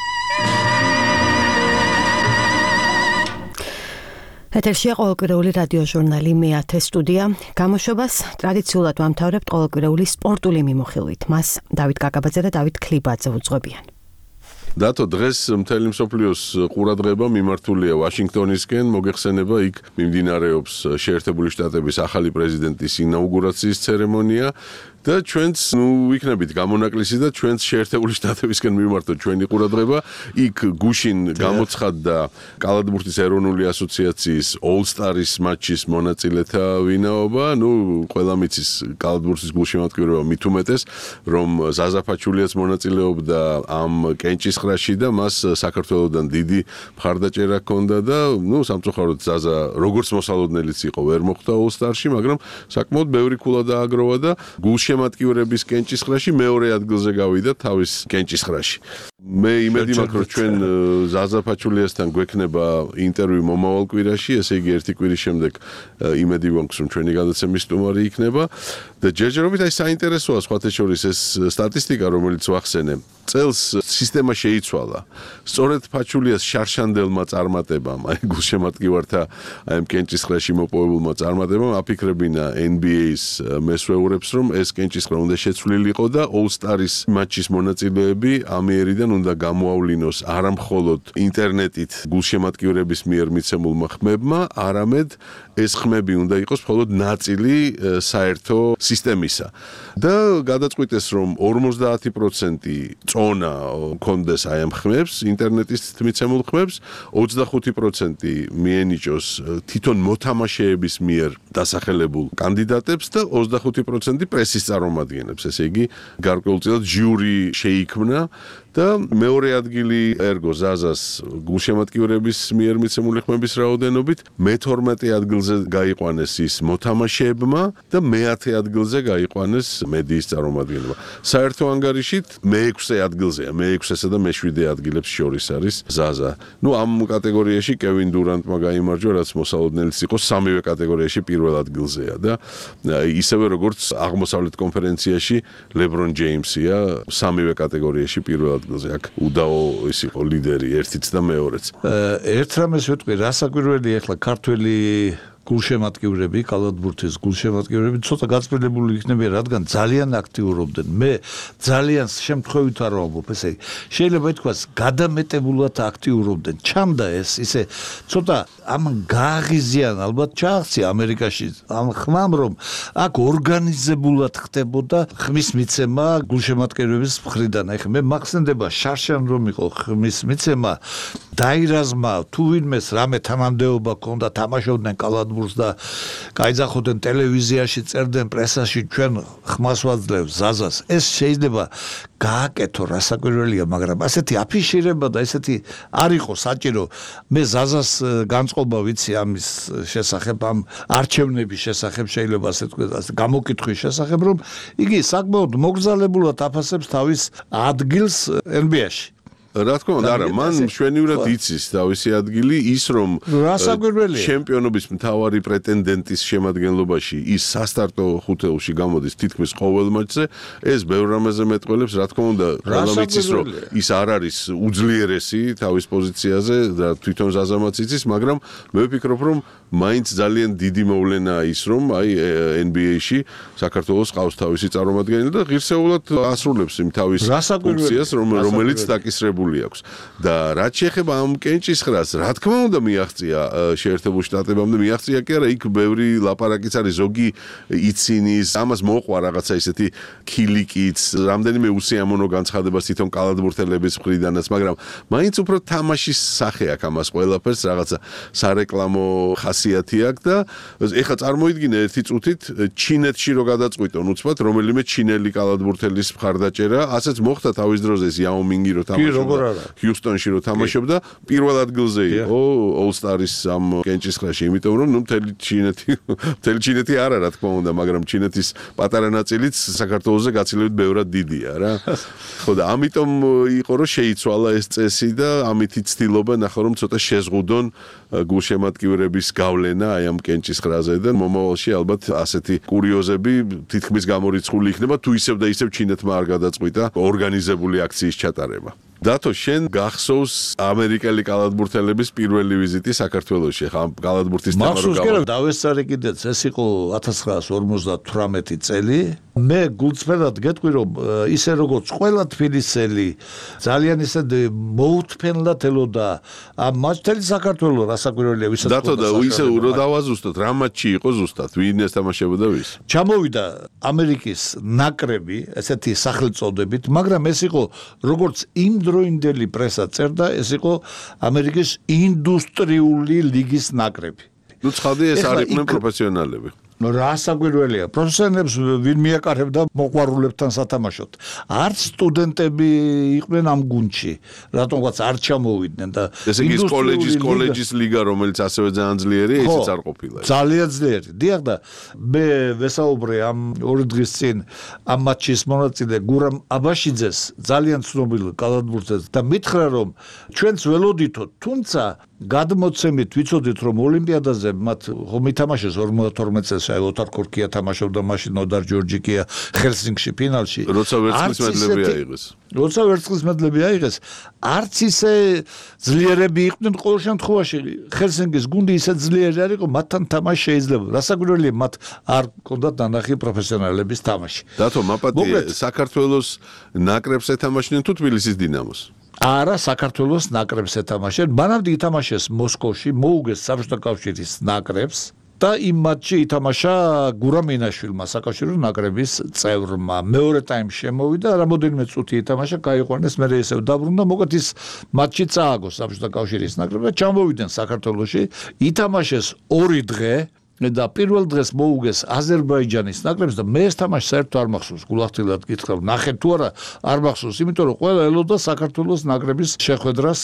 ეთერშია ყოველკვირეული რადიო ჟურნალი მეათე სტუდია. გამოშვებას ტრადიციულად ვამთავრებთ ყოველკვირეული სპორტული მიმოხილვით. მას დავით კაკაბაძე და დავით ქლიბაძე უძღვებიან. დათო, დღეს მთელი მსოფლიოს ყურადღება მიმართულია ვაშინგტონისკენ, მოგეხსენება, იქ მიმდინარეობს შეერთებული შტატების ახალი პრეზიდენტის ინაუგურაციის ცერემონია და ჩვენც ნუ ვიქნებით გამონაკლისი და ჩვენც შეერთებული შტატებისკენ მიმართოთ ჩვენი ყურადღება. იქ გუშინ გამოცხადდა კალათბურთის ეროვნული ასოციაციის All-Stars მატჩის მონაწილეთა ვინაობა. ნუ ყველა მიცის კალათბურთის გულშემატკივრება მით უმეტეს, რომ ზაზა ფაჩულიაც მონაწილეობდა ამ კენჭისყრაში და მას საქართველოსდან დიდი მხარდაჭერა ჰქონდა და ნუ სამწუხაროდ ზაზა როგორც მოსალოდნელიც იყო ვერ მოხვდა All-Star-ში, მაგრამ საკმაოდ ბევრი ქულა დააგროვა და გულშემატკივრების კენჭისყრაში მეორე ადგილზე გავიდა თავის კენჭისყრაში. მე იმედი მაქვს, რომ ჩვენ ზაზა ფაჩულიასთან გვექნება ინტერვიუ მომავალ კვირაში, ესე იგი ერთი კვირის შემდეგ იმედი მაქვს, რომ ჩვენი გადაცემის სტუმარი იქნება და ჯერჯერობით აი საინტერესოა სხვათა შორის ეს სტატისტიკა, რომელიც ვახსენე. წელს სისტემა შეიცვალა. სწორედ ფაჩულიას შარშანდელმა წარმატებამ, აი გულშემატკივართა აი ამ კენჭისყრაში მოპოვებულმა წარმატებამ აფიქრებინა N B A-ის მესვეურებს, რომ ეს კენჭისყრა უნდა შეცვლილიყო და All-Star-ის მატჩის მონაწილეები ამიერიდან უნდა გამოავლინოს არა მხოლოდ ინტერნეტით გულშემატკივრების მიერ მიცემულმა ხმებმა, არამედ ეს ხმები უნდა იყოს მხოლოდ ნაწილი საერთო სისტემისა. და გადაწყვიტეს, რომ ორმოცდაათი პროცენტი წონა კონდეს აი ამ ხმებს, ინტერნეტის მიცემულ ხმებს, ოცდახუთი პროცენტი მიენიჭოს თვითონ მოთამაშეების მიერ დასახელებულ კანდიდატებს და ოცდახუთი პროცენტი პრესის წარმომადგენლებს. ესე იგი, გარკვეულწილად ჟიური შეიქმნა და მეორე ადგილი ერგო ზაზას გულშემატკივრების მიერ მიცემული ხმების რაოდენობით, მეთორმეტე ადგილზე გაიყვანეს ის მოთამაშეებმა და მეათე ადგილზე გაიყვანეს მედიის წარმომადგენლებმა. საერთო ანგარიშით მეექვსე ადგილზეა, მეექვსესა და მეშვიდე ადგილებს შორის არის ზაზა. ნუ ამ კატეგორიაში კევინ დურანტმა გაიმარჯვა, რაც მოსალოდნელიც იყო, სამივე კატეგორიაში პირველ ადგილზეა და ისევე როგორც აღმოსავლეთ კონფერენციაში ლებრონ ჯეიმსია სამივე კატეგორიაში პირველ ადგილზე. აქ უდაო ის იყო ლიდერი ერთიც და მეორეც. ერთ რამეს ვიტყვი, რა საკვირველი ახლა ქართველი გულშემატკივრები, კალათბურთის გულშემატკივრები ცოტა გაწმენდებული იქნებიან, რადგან ძალიან აქტიურობდნენ. მე ძალიან შემთხვევით არ ვამბობ, ესე იგი, შეიძლება ითქვას, გადამეტებულად აქტიურობდნენ. ჩამდა ეს, ისე ცოტა ამ გააღიზიან, ალბათ ჩააღწია ამერიკაში ამ ხმამ, რომ აქ ორგანიზებულად ხდებოდა ხმის მიცემა გულშემატკივრების მხრიდან. ეხლა მე მახსენდება შარშან რომ იყო ხმის მიცემა, დაირაზმა თუ ვინმეს რამე თანამდებობა ჰქონდა, თამაშობდნენ კალათბურთს და გაიძახოდნენ ტელევიზიაში, წერდნენ პრესაში, ჩვენ ხმას ვაძლევს ზაზას. ეს შეიძლება გააკეთო, რა საკვირველია, მაგრამ ასეთი აფიშირება და ესეთი არ იყო საჭირო. მე ზაზას განწყობა ვიცი ამის შესახებ, ამ არჩევნების შესახებ, შეიძლება ასე თქვას, გამოკითხვის შესახებ, რომ იგი საკმაოდ მოგზალებულად აფასებს თავის ადგილს N B A-ში. რა თქმა უნდა, არა, მან მშვენივრად იცის თავისი ადგილი, ის რომ ჩემპიონობის მთავარი პრეტენდენტის შემადგენლობაში ის სასტარტო ხუთეულში გამოდის თითქმის ყოველ მატჩზე, ეს ბევრ რამეზე მეტყველებს, რა თქმა უნდა, ყველამ იცის, რომ ის არ არის უძლიერესი თავის პოზიციაზე და თვითონ ზაზამაც იცის, მაგრამ მე ვფიქრობ, რომ მაინც ძალიან დიდი მოვლენაა ის, რომ აი N B A-ში საქართველოს ყავს თავისი წარმომადგენელი და ღირსეულად ასრულებს იმ თავის ფუნქციას, რომელიც დაკისრებული აქვს. და რაც შეეხება ამ კენჭისყრას, რა თქმა უნდა მიაღწია შეერთებულ შტატებამდე, მიაღწია კი არა, იქ ბევრი ლაპარაკიც არის, ზოგი იცინის, ამას მოყვა რაღაცა ისეთი ქილიკიც, რამდენიმე უსიამოვნო განცხადებას თვითონ კალათბურთელების მხრიდანაც, მაგრამ მაინც უფრო თამაშის სახე აქვს ამას ყველაფერს, რაღაცა სარეკლამო ხასიათი აქვს და ეხლა წარმოიდგინე ერთი წუთით ჩინეთში რო გადაწყვიტონ უცბად რომელიმე ჩინელი კალათბურთელის მხარდაჭერა, ასეც მოხდა თავის დროზე იაო მინგი რო თამაშობდა ჰიუსტონში რო თამაშობდა, პირველ ადგილზე იყო All-Star-ის ამ კენჭისყრაში, იმიტომ რომ ნუ მთელი ჩინეთი, მთელი ჩინეთი არა, რა თქმა უნდა, მაგრამ ჩინეთის პატარა ნაწილიც საქართველოზე გაცილებით ბევრად დიდია რა. ხო და ამიტომ იყო რომ შეიცვალა ეს წესი და ამითი ცდილობა ნახა რომ ცოტა შეზღუდონ გულშემატკივრების გავლენა აი ამ კენჭისყრაზე და მომავალში ალბათ ასეთი კურიოზები თითქმის გამორიცხული იქნება თუ ისევ და ისევ ჩინეთმა არ გადაწყვიტა ორგანიზებული აქციის ჩატარება. დათო, შენ გახსოვს ამერიკელი კალათბურთელების პირველი ვიზიტი საქართველოში, ხა კალათბურთის თემა რო გავა. მახსოვს, დავესწარი კიდეც, ეს იყო ათას ცხრაას ორმოცდათვრამეტი წელი. მე გულწრფელად გეტყვი, რომ ისე როგორც ყველა თბილისელი ძალიან ისე მოუთფენლად ელოდა ამ მატჩს საქართველოს რასაკვირველია ვისაც დათო და ისე რო დავაზუსტოთ, რა მატჩი იყო ზუსტად, ვინ ესთამაშებოდა ვის? ჩამოვიდა ამერიკის ნაკრები, ესეთი სახელწოდებით, მაგრამ ეს იყო როგორც იმ დროინდელი პრესა წერდა, ეს იყო ამერიკის ინდუსტრიული ლიგის ნაკრები. ნუ ცხადია ეს არ იყვნენ პროფესიონალები. ნუ რა საკვირველია, პროფესიონალებს ვინ მიაკარებდა მოყვარულებთან სათამაშოდ. არც სტუდენტები იყვნენ ამ გუნდში, რატომღაც არ ჩამოვიდნენ და ესე იგი კოლეჯის კოლეჯის ლიგა, რომელიც ასევე ძალიან ძლიერია, ისიც არ ყოფილა. ძალიან ძლიერი. დიახ და მე ვესაუბრე ამ ორი დღის წინ ამ მატჩის მონაწილე გურამ აბაშიძეს, ძალიან ცნობილ კალათბურთელს და მითხრა რომ ჩვენც ველოდითო, თუმცა გადმოცემით ვიცოდით რომ ოლიმპიადაზე მათ ხომ ითამაშეს ორმოცდათორმეტ წელს თამაშა, ოტარ კორკია თამაშობდა მაშინ ოდარ ჯორჯიკია ჰელსინკში ფინალში. როცა ვერცხლის მედლები აიღეს. როცა ვერცხლის მედლები აიღეს, არც ისე ძლიერები იყვნენ ყოველ შემთხვევაში. ჰელსინკის გუნდი ისე ძლიერი არ იყო, მათთან თამაში შეიძლება. რასაკვირველია, მათ არ ჰქონდათ ნანახი პროფესიონალების თამაში. დათო მაპატი საქართველოს ნაკრებს ეთამაშნენ თუ თბილისის დინამოს? არა, საქართველოს ნაკრებს ეთამაშნენ. მანამდე ითამაშეს მოსკოვში, მოუგეს საბჭოთა კავშირის ნაკრებს და იმ მატჩში ითამაშა გურამ მინაშვილმა, საკავშირო ნაკრების წევრმა. მეორე ტაიმში შემოვიდა, რამოდენიმე წუთი ითამაშა, გაიყვანეს, მერე ისევ დაბრუნდა, მოკლედ ის მატჩი წააგო საბჭოთა კავშირის ნაკრებს და ჩამოვიდნენ საქართველოში. ითამაშეს ორი დღე და პირველ დღეს მოუგეს აზერბაიჯანის ნაკრებს და მე ეს თამაში საერთოდ არ მახსოვს, გულახდილად გითხრა, ნახე თუ არა, არ მახსოვს, იმიტომ რომ ყველა ელოდა საქართველოს ნაკრების შეხვედრას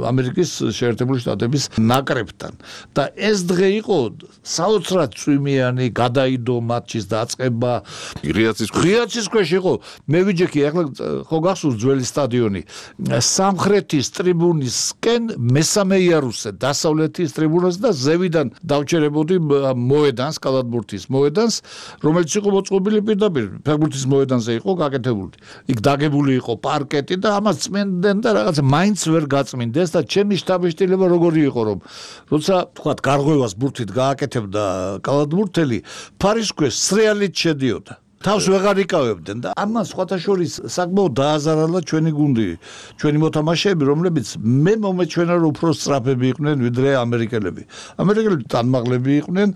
ამერიკის შეერთებული შტატების ნაკრებთან. და ეს დღე იყო საოცრად წვიმიანი, გადაიდო მატჩის დაწყება, ღიაცის ქვეშ. ღიაცის ქვეშ იყო. მე ვიჯექი, ახლა ხო გახსოვს ძველი სტადიონი. სამხრეთის ტრიბუნისკენ მესამე იარუსზე, დასავლეთის ტრიბუნაზე და ზევიდან დავჩერებოდი მოედანს, კალათბურთის მოედანს, რომელიც იყო მოწყობილი პირდაპირ ფეხბურთის მოედანზე იყო გაკეთებული. იქ დაგებული იყო პარკეტი და ამას წმენდნენ და რაღაცა მაინც ვერ გაწმინდეს და ჩემი შთაბეჭდილება როგორი იყო, რომ როცა თქვათ გარღვევას ბურთით გააკეთებდა კალათბურთელი, ფარის ქვეშ სრიალით შედიოდა. თავს ვეღარ იკავებდნენ და ამან სხვათა შორის საკმაოდ დააზარალა ჩვენი გუნდი, ჩვენი მოთამაშეები, რომლებიც მე მომეჩვენა რომ უფრო სწრაფები იყვნენ ვიდრე ამერიკელები. ამერიკელები თანმაღლები იყვნენ,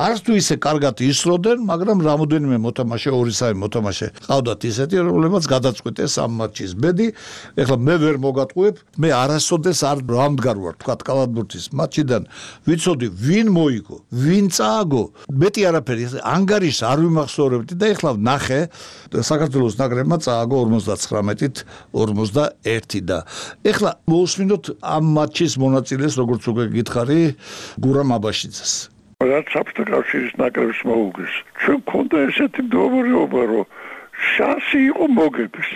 არც თუ ისე კარგად ისროდნენ, მაგრამ რამოდენიმე მოთამაშე, ორი სამი მოთამაშე ყავდათ ისეთი, რომლებიც გადაწყვეტეს ამ მატჩის ბედი. ეხლა მე ვერ მოგატყუებ, მე არასოდეს არ რამდგარ ვარ, თქვათ კალათბურთის მატჩიდან ვიცოდი ვინ მოიგო, ვინ წააგო, მეტი არაფერი, ანგარიშს არ ვიმახსოვრებდი და ეხლა ნახე საქართველოს ნაკრებმა წააგო ორმოცდათხრამეტით ორმოცდაერთი და ეხლა მოусმინოთ ამ მატჩის მონაწილეს, როგორც უკვე გითხარი, გურამ აბაშიძეს. რაც საბჭოთა კავშირის ნაკრებს მოუგეს. ჩვენ გქონდა ესეთი მდგომარეობა, რომ შანსი იყო მოგების.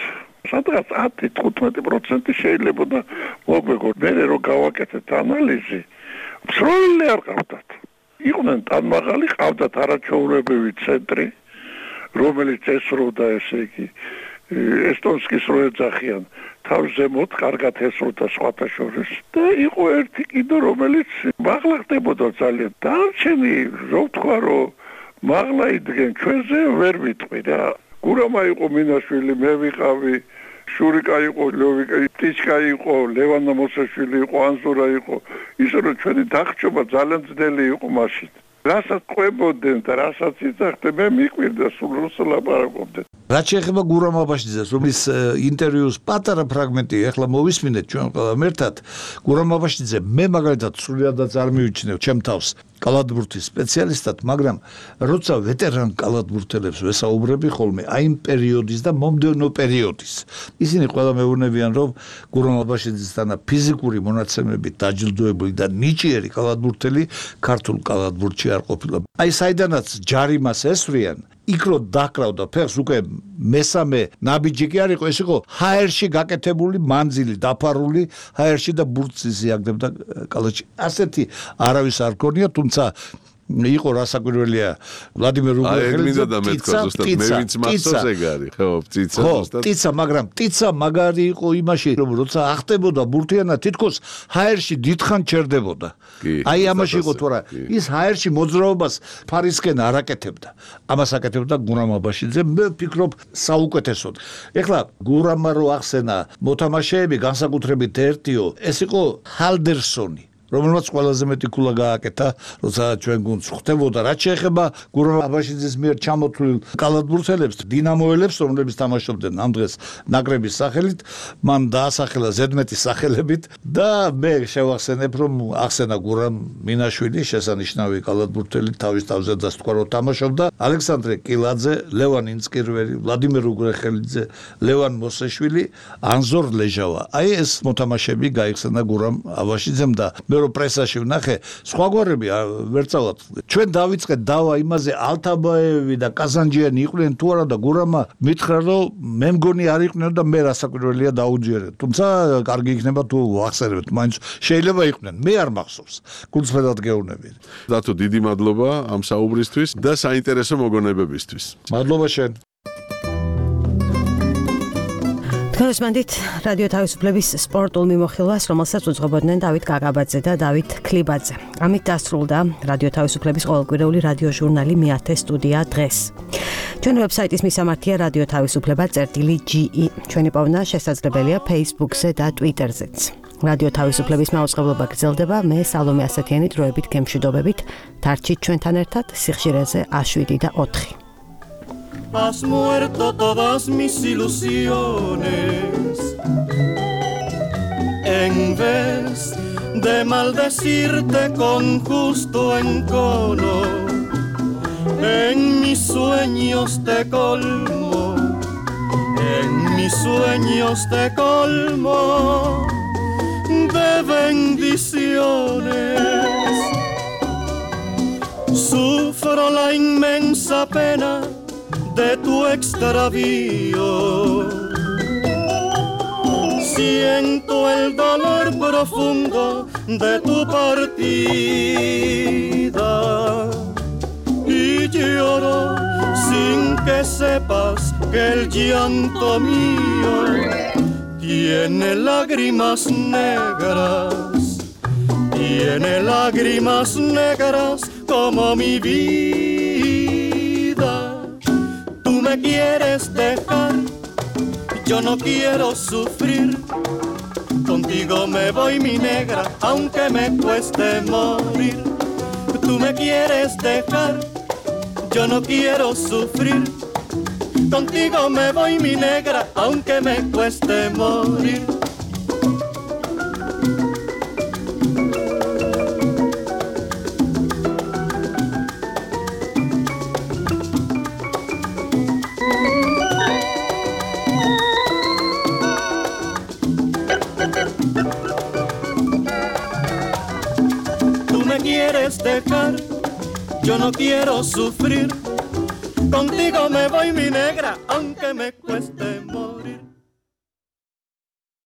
სადღაც ათი თხუთმეტი პროცენტი შეიძლება და მოგვეგო. მე რო გავაკეთეთ ანალიზი, მსროლელი არ ყავდათ. იყვნენ თანმაღალი, ყავდათ არაჩვეულებრივი ცენტრი, რომელიც ესროდა, ესე იგი, ესტონსკის რო ეძახიან, თავს ზემოთ კარგად ესროდა სხვათა შორის და იყო ერთი კიდე, რომელიც მაღლა ხდებოდა ძალიან. დანარჩენი, რო ვთქვა, რომ მაღლა იდგენ ჩვენზე, ვერ ვიტყვი რა. გურამა იყო მინაშვილი, მე ვიყავი, შურიკა იყო, ლევიკა, ტიჩკა იყო, ლევანა მოსაშვილი იყო, ანზურა იყო. ისე რომ ჩვენი დახჭობა ძალიან ძნელი იყო მაშინ. რასაც ყვებოდნენ და რასაც იცახდნენ, მე მიყვირდა სულ რუსულ ლაპარაკობდნენ. რაც შეეხება გურამ აბაშიძეს, რომლის ინტერვიუს პატარა ფრაგმენტი ახლა მოვისმინეთ ჩვენ ყველამ ერთად, გურამ აბაშიძე მე მაგალითად სრულიადაც არ მივიჩნევ ჩემ თავს კალათბურთის სპეციალისტად, მაგრამ როცა ვეტერან კალათბურთელებს ვესაუბრები ხოლმე აი იმ პერიოდის და მომდევნო პერიოდის, ისინი ყველა მეუბნებიან, რომ გურამ აბაშიძესთან ფიზიკური მონაცემებით დაჯილდოებული და ნიჭიერი კალათბურთელი ქართულ კალათბურთში არ ყოფილა. აი საიდანაც ჯარიმას ესვრიან, იქ რო დაკრავდა ფეხს უკვე მესამე ნაბიჯი კი არ იყო, ეს იყო ჰაერში გაკეთებული მანძილი, დაფარული ჰაერში და ბურთს იზიაგდებდა კალათში. ასეთი არავის არ გქონია, თუმცა იყო რასაკვირველია ვლადიმერ უგრეხელიძე და მეთქვა ზუსტად მე ვინც მახსოვს ეგ არის, ხო, ტიცა ზუსტად. ტიცა, მაგრამ ტიცა მაგარი იყო იმაში, რომ როცა ახტებოდა ბურთიანა, თითქოს ჰაერში დიდხან ჩერდებოდა. აი ამაში იყო თორა ის ჰაერში მოძრაობას ფარისკენ არ აკეთებდა. ამას აკეთებდა გურამ აბაშიძე, მე ვფიქრობ საუკეთესოდ. ეხლა გურამა რო ახსენა მოთამაშეები, განსაკუთრებით ერთიო, ეს იყო ჰალდერსონი, რომელმაც ყველაზე მეტი ქულა გააკეთა, როცა ჩვენ გუნდს ხვდებოდა. რაც შეეხება გურამ აბაშიძის მიერ ჩამოთვლილ კალათბურთელებს, დინამოელებს, რომლებიც თამაშობდნენ ამ დღეს ნაკრების სახელით, მან დაასახელა ზედმეტი სახელებით და მე შევახსენებ, რომ ახსენა გურამ მინაშვილი, შესანიშნავი კალათბურთელი, თავის თავზე დასთქვა, რომ თამაშობდა, ალექსანდრე კილაძე, ლევან ინცკირველი, ვლადიმერ უგრეხელიძე, ლევან მოსეშვილი, ანზორ ლეჟავა. აი ეს მოთამაშეები გაიხსენა გურამ აბაშიძემ და მე რომ პრესაში ვნახე, სხვაგვარები ვერ წავად. ჩვენ დავიწყეთ დავა იმაზე ალთაბაევი და კაზანჯიანი იყვნენ თუ არა და გურამა მითხრა რომ მე მგონი არ იყვნენ და მე რასაკვირველია დაუჯერეთ. თუმცა კარგი იქნება თუ ახსენებთ, მაინც შეიძლება იყვნენ. მე არ მახსოვს. გულწრფელად გეუბნები. დათო დიდი მადლობა ამ საუბრისთვის და საინტერესო მოგონებებისთვის. მადლობა შენ. თქოსმანდით რადიო თავისუფლების სპორტულ მიმოხილვას, რომელსაც უძღვებოდნენ დავით გაგაბაძე და დავით ქლიბაძე. ამით დასრულდა რადიო თავისუფლების ყოველკვირეული რადიო ჟურნალი მეათე სტუდია დღეს. ჩვენი ვებსაიტის მისამართია რადიო თავისუფლება წერტილი ჯი ი. ჩვენი პოვნა შესაძლებელია Facebook-ზე და Twitter-ზეც. რადიო თავისუფლების მაუწყებლობა გრძელდება. მე სალომე ასათიანი დროებით გემშვიდობებით. დარჩით ჩვენთან ერთად სიხშირეზე შვიდი და ოთხი. Has muerto todas mis ilusiones. En vez de maldecirte con justo encono, en mis sueños te colmo, en mis sueños te colmo de bendiciones. Sufro la inmensa pena de tu extravío, siento el dolor profundo de tu partida y lloro sin que sepas que el llanto mío tiene lágrimas negras, tiene lágrimas negras como mi vida. Me quieres dejar, yo no quiero sufrir. Contigo me voy mi negra, aunque me cueste morir. Tú me quieres dejar, yo no quiero sufrir. Contigo me voy mi negra, aunque me cueste morir. Dejar, yo no quiero sufrir. Contigo me voy mi negra, aunque me cueste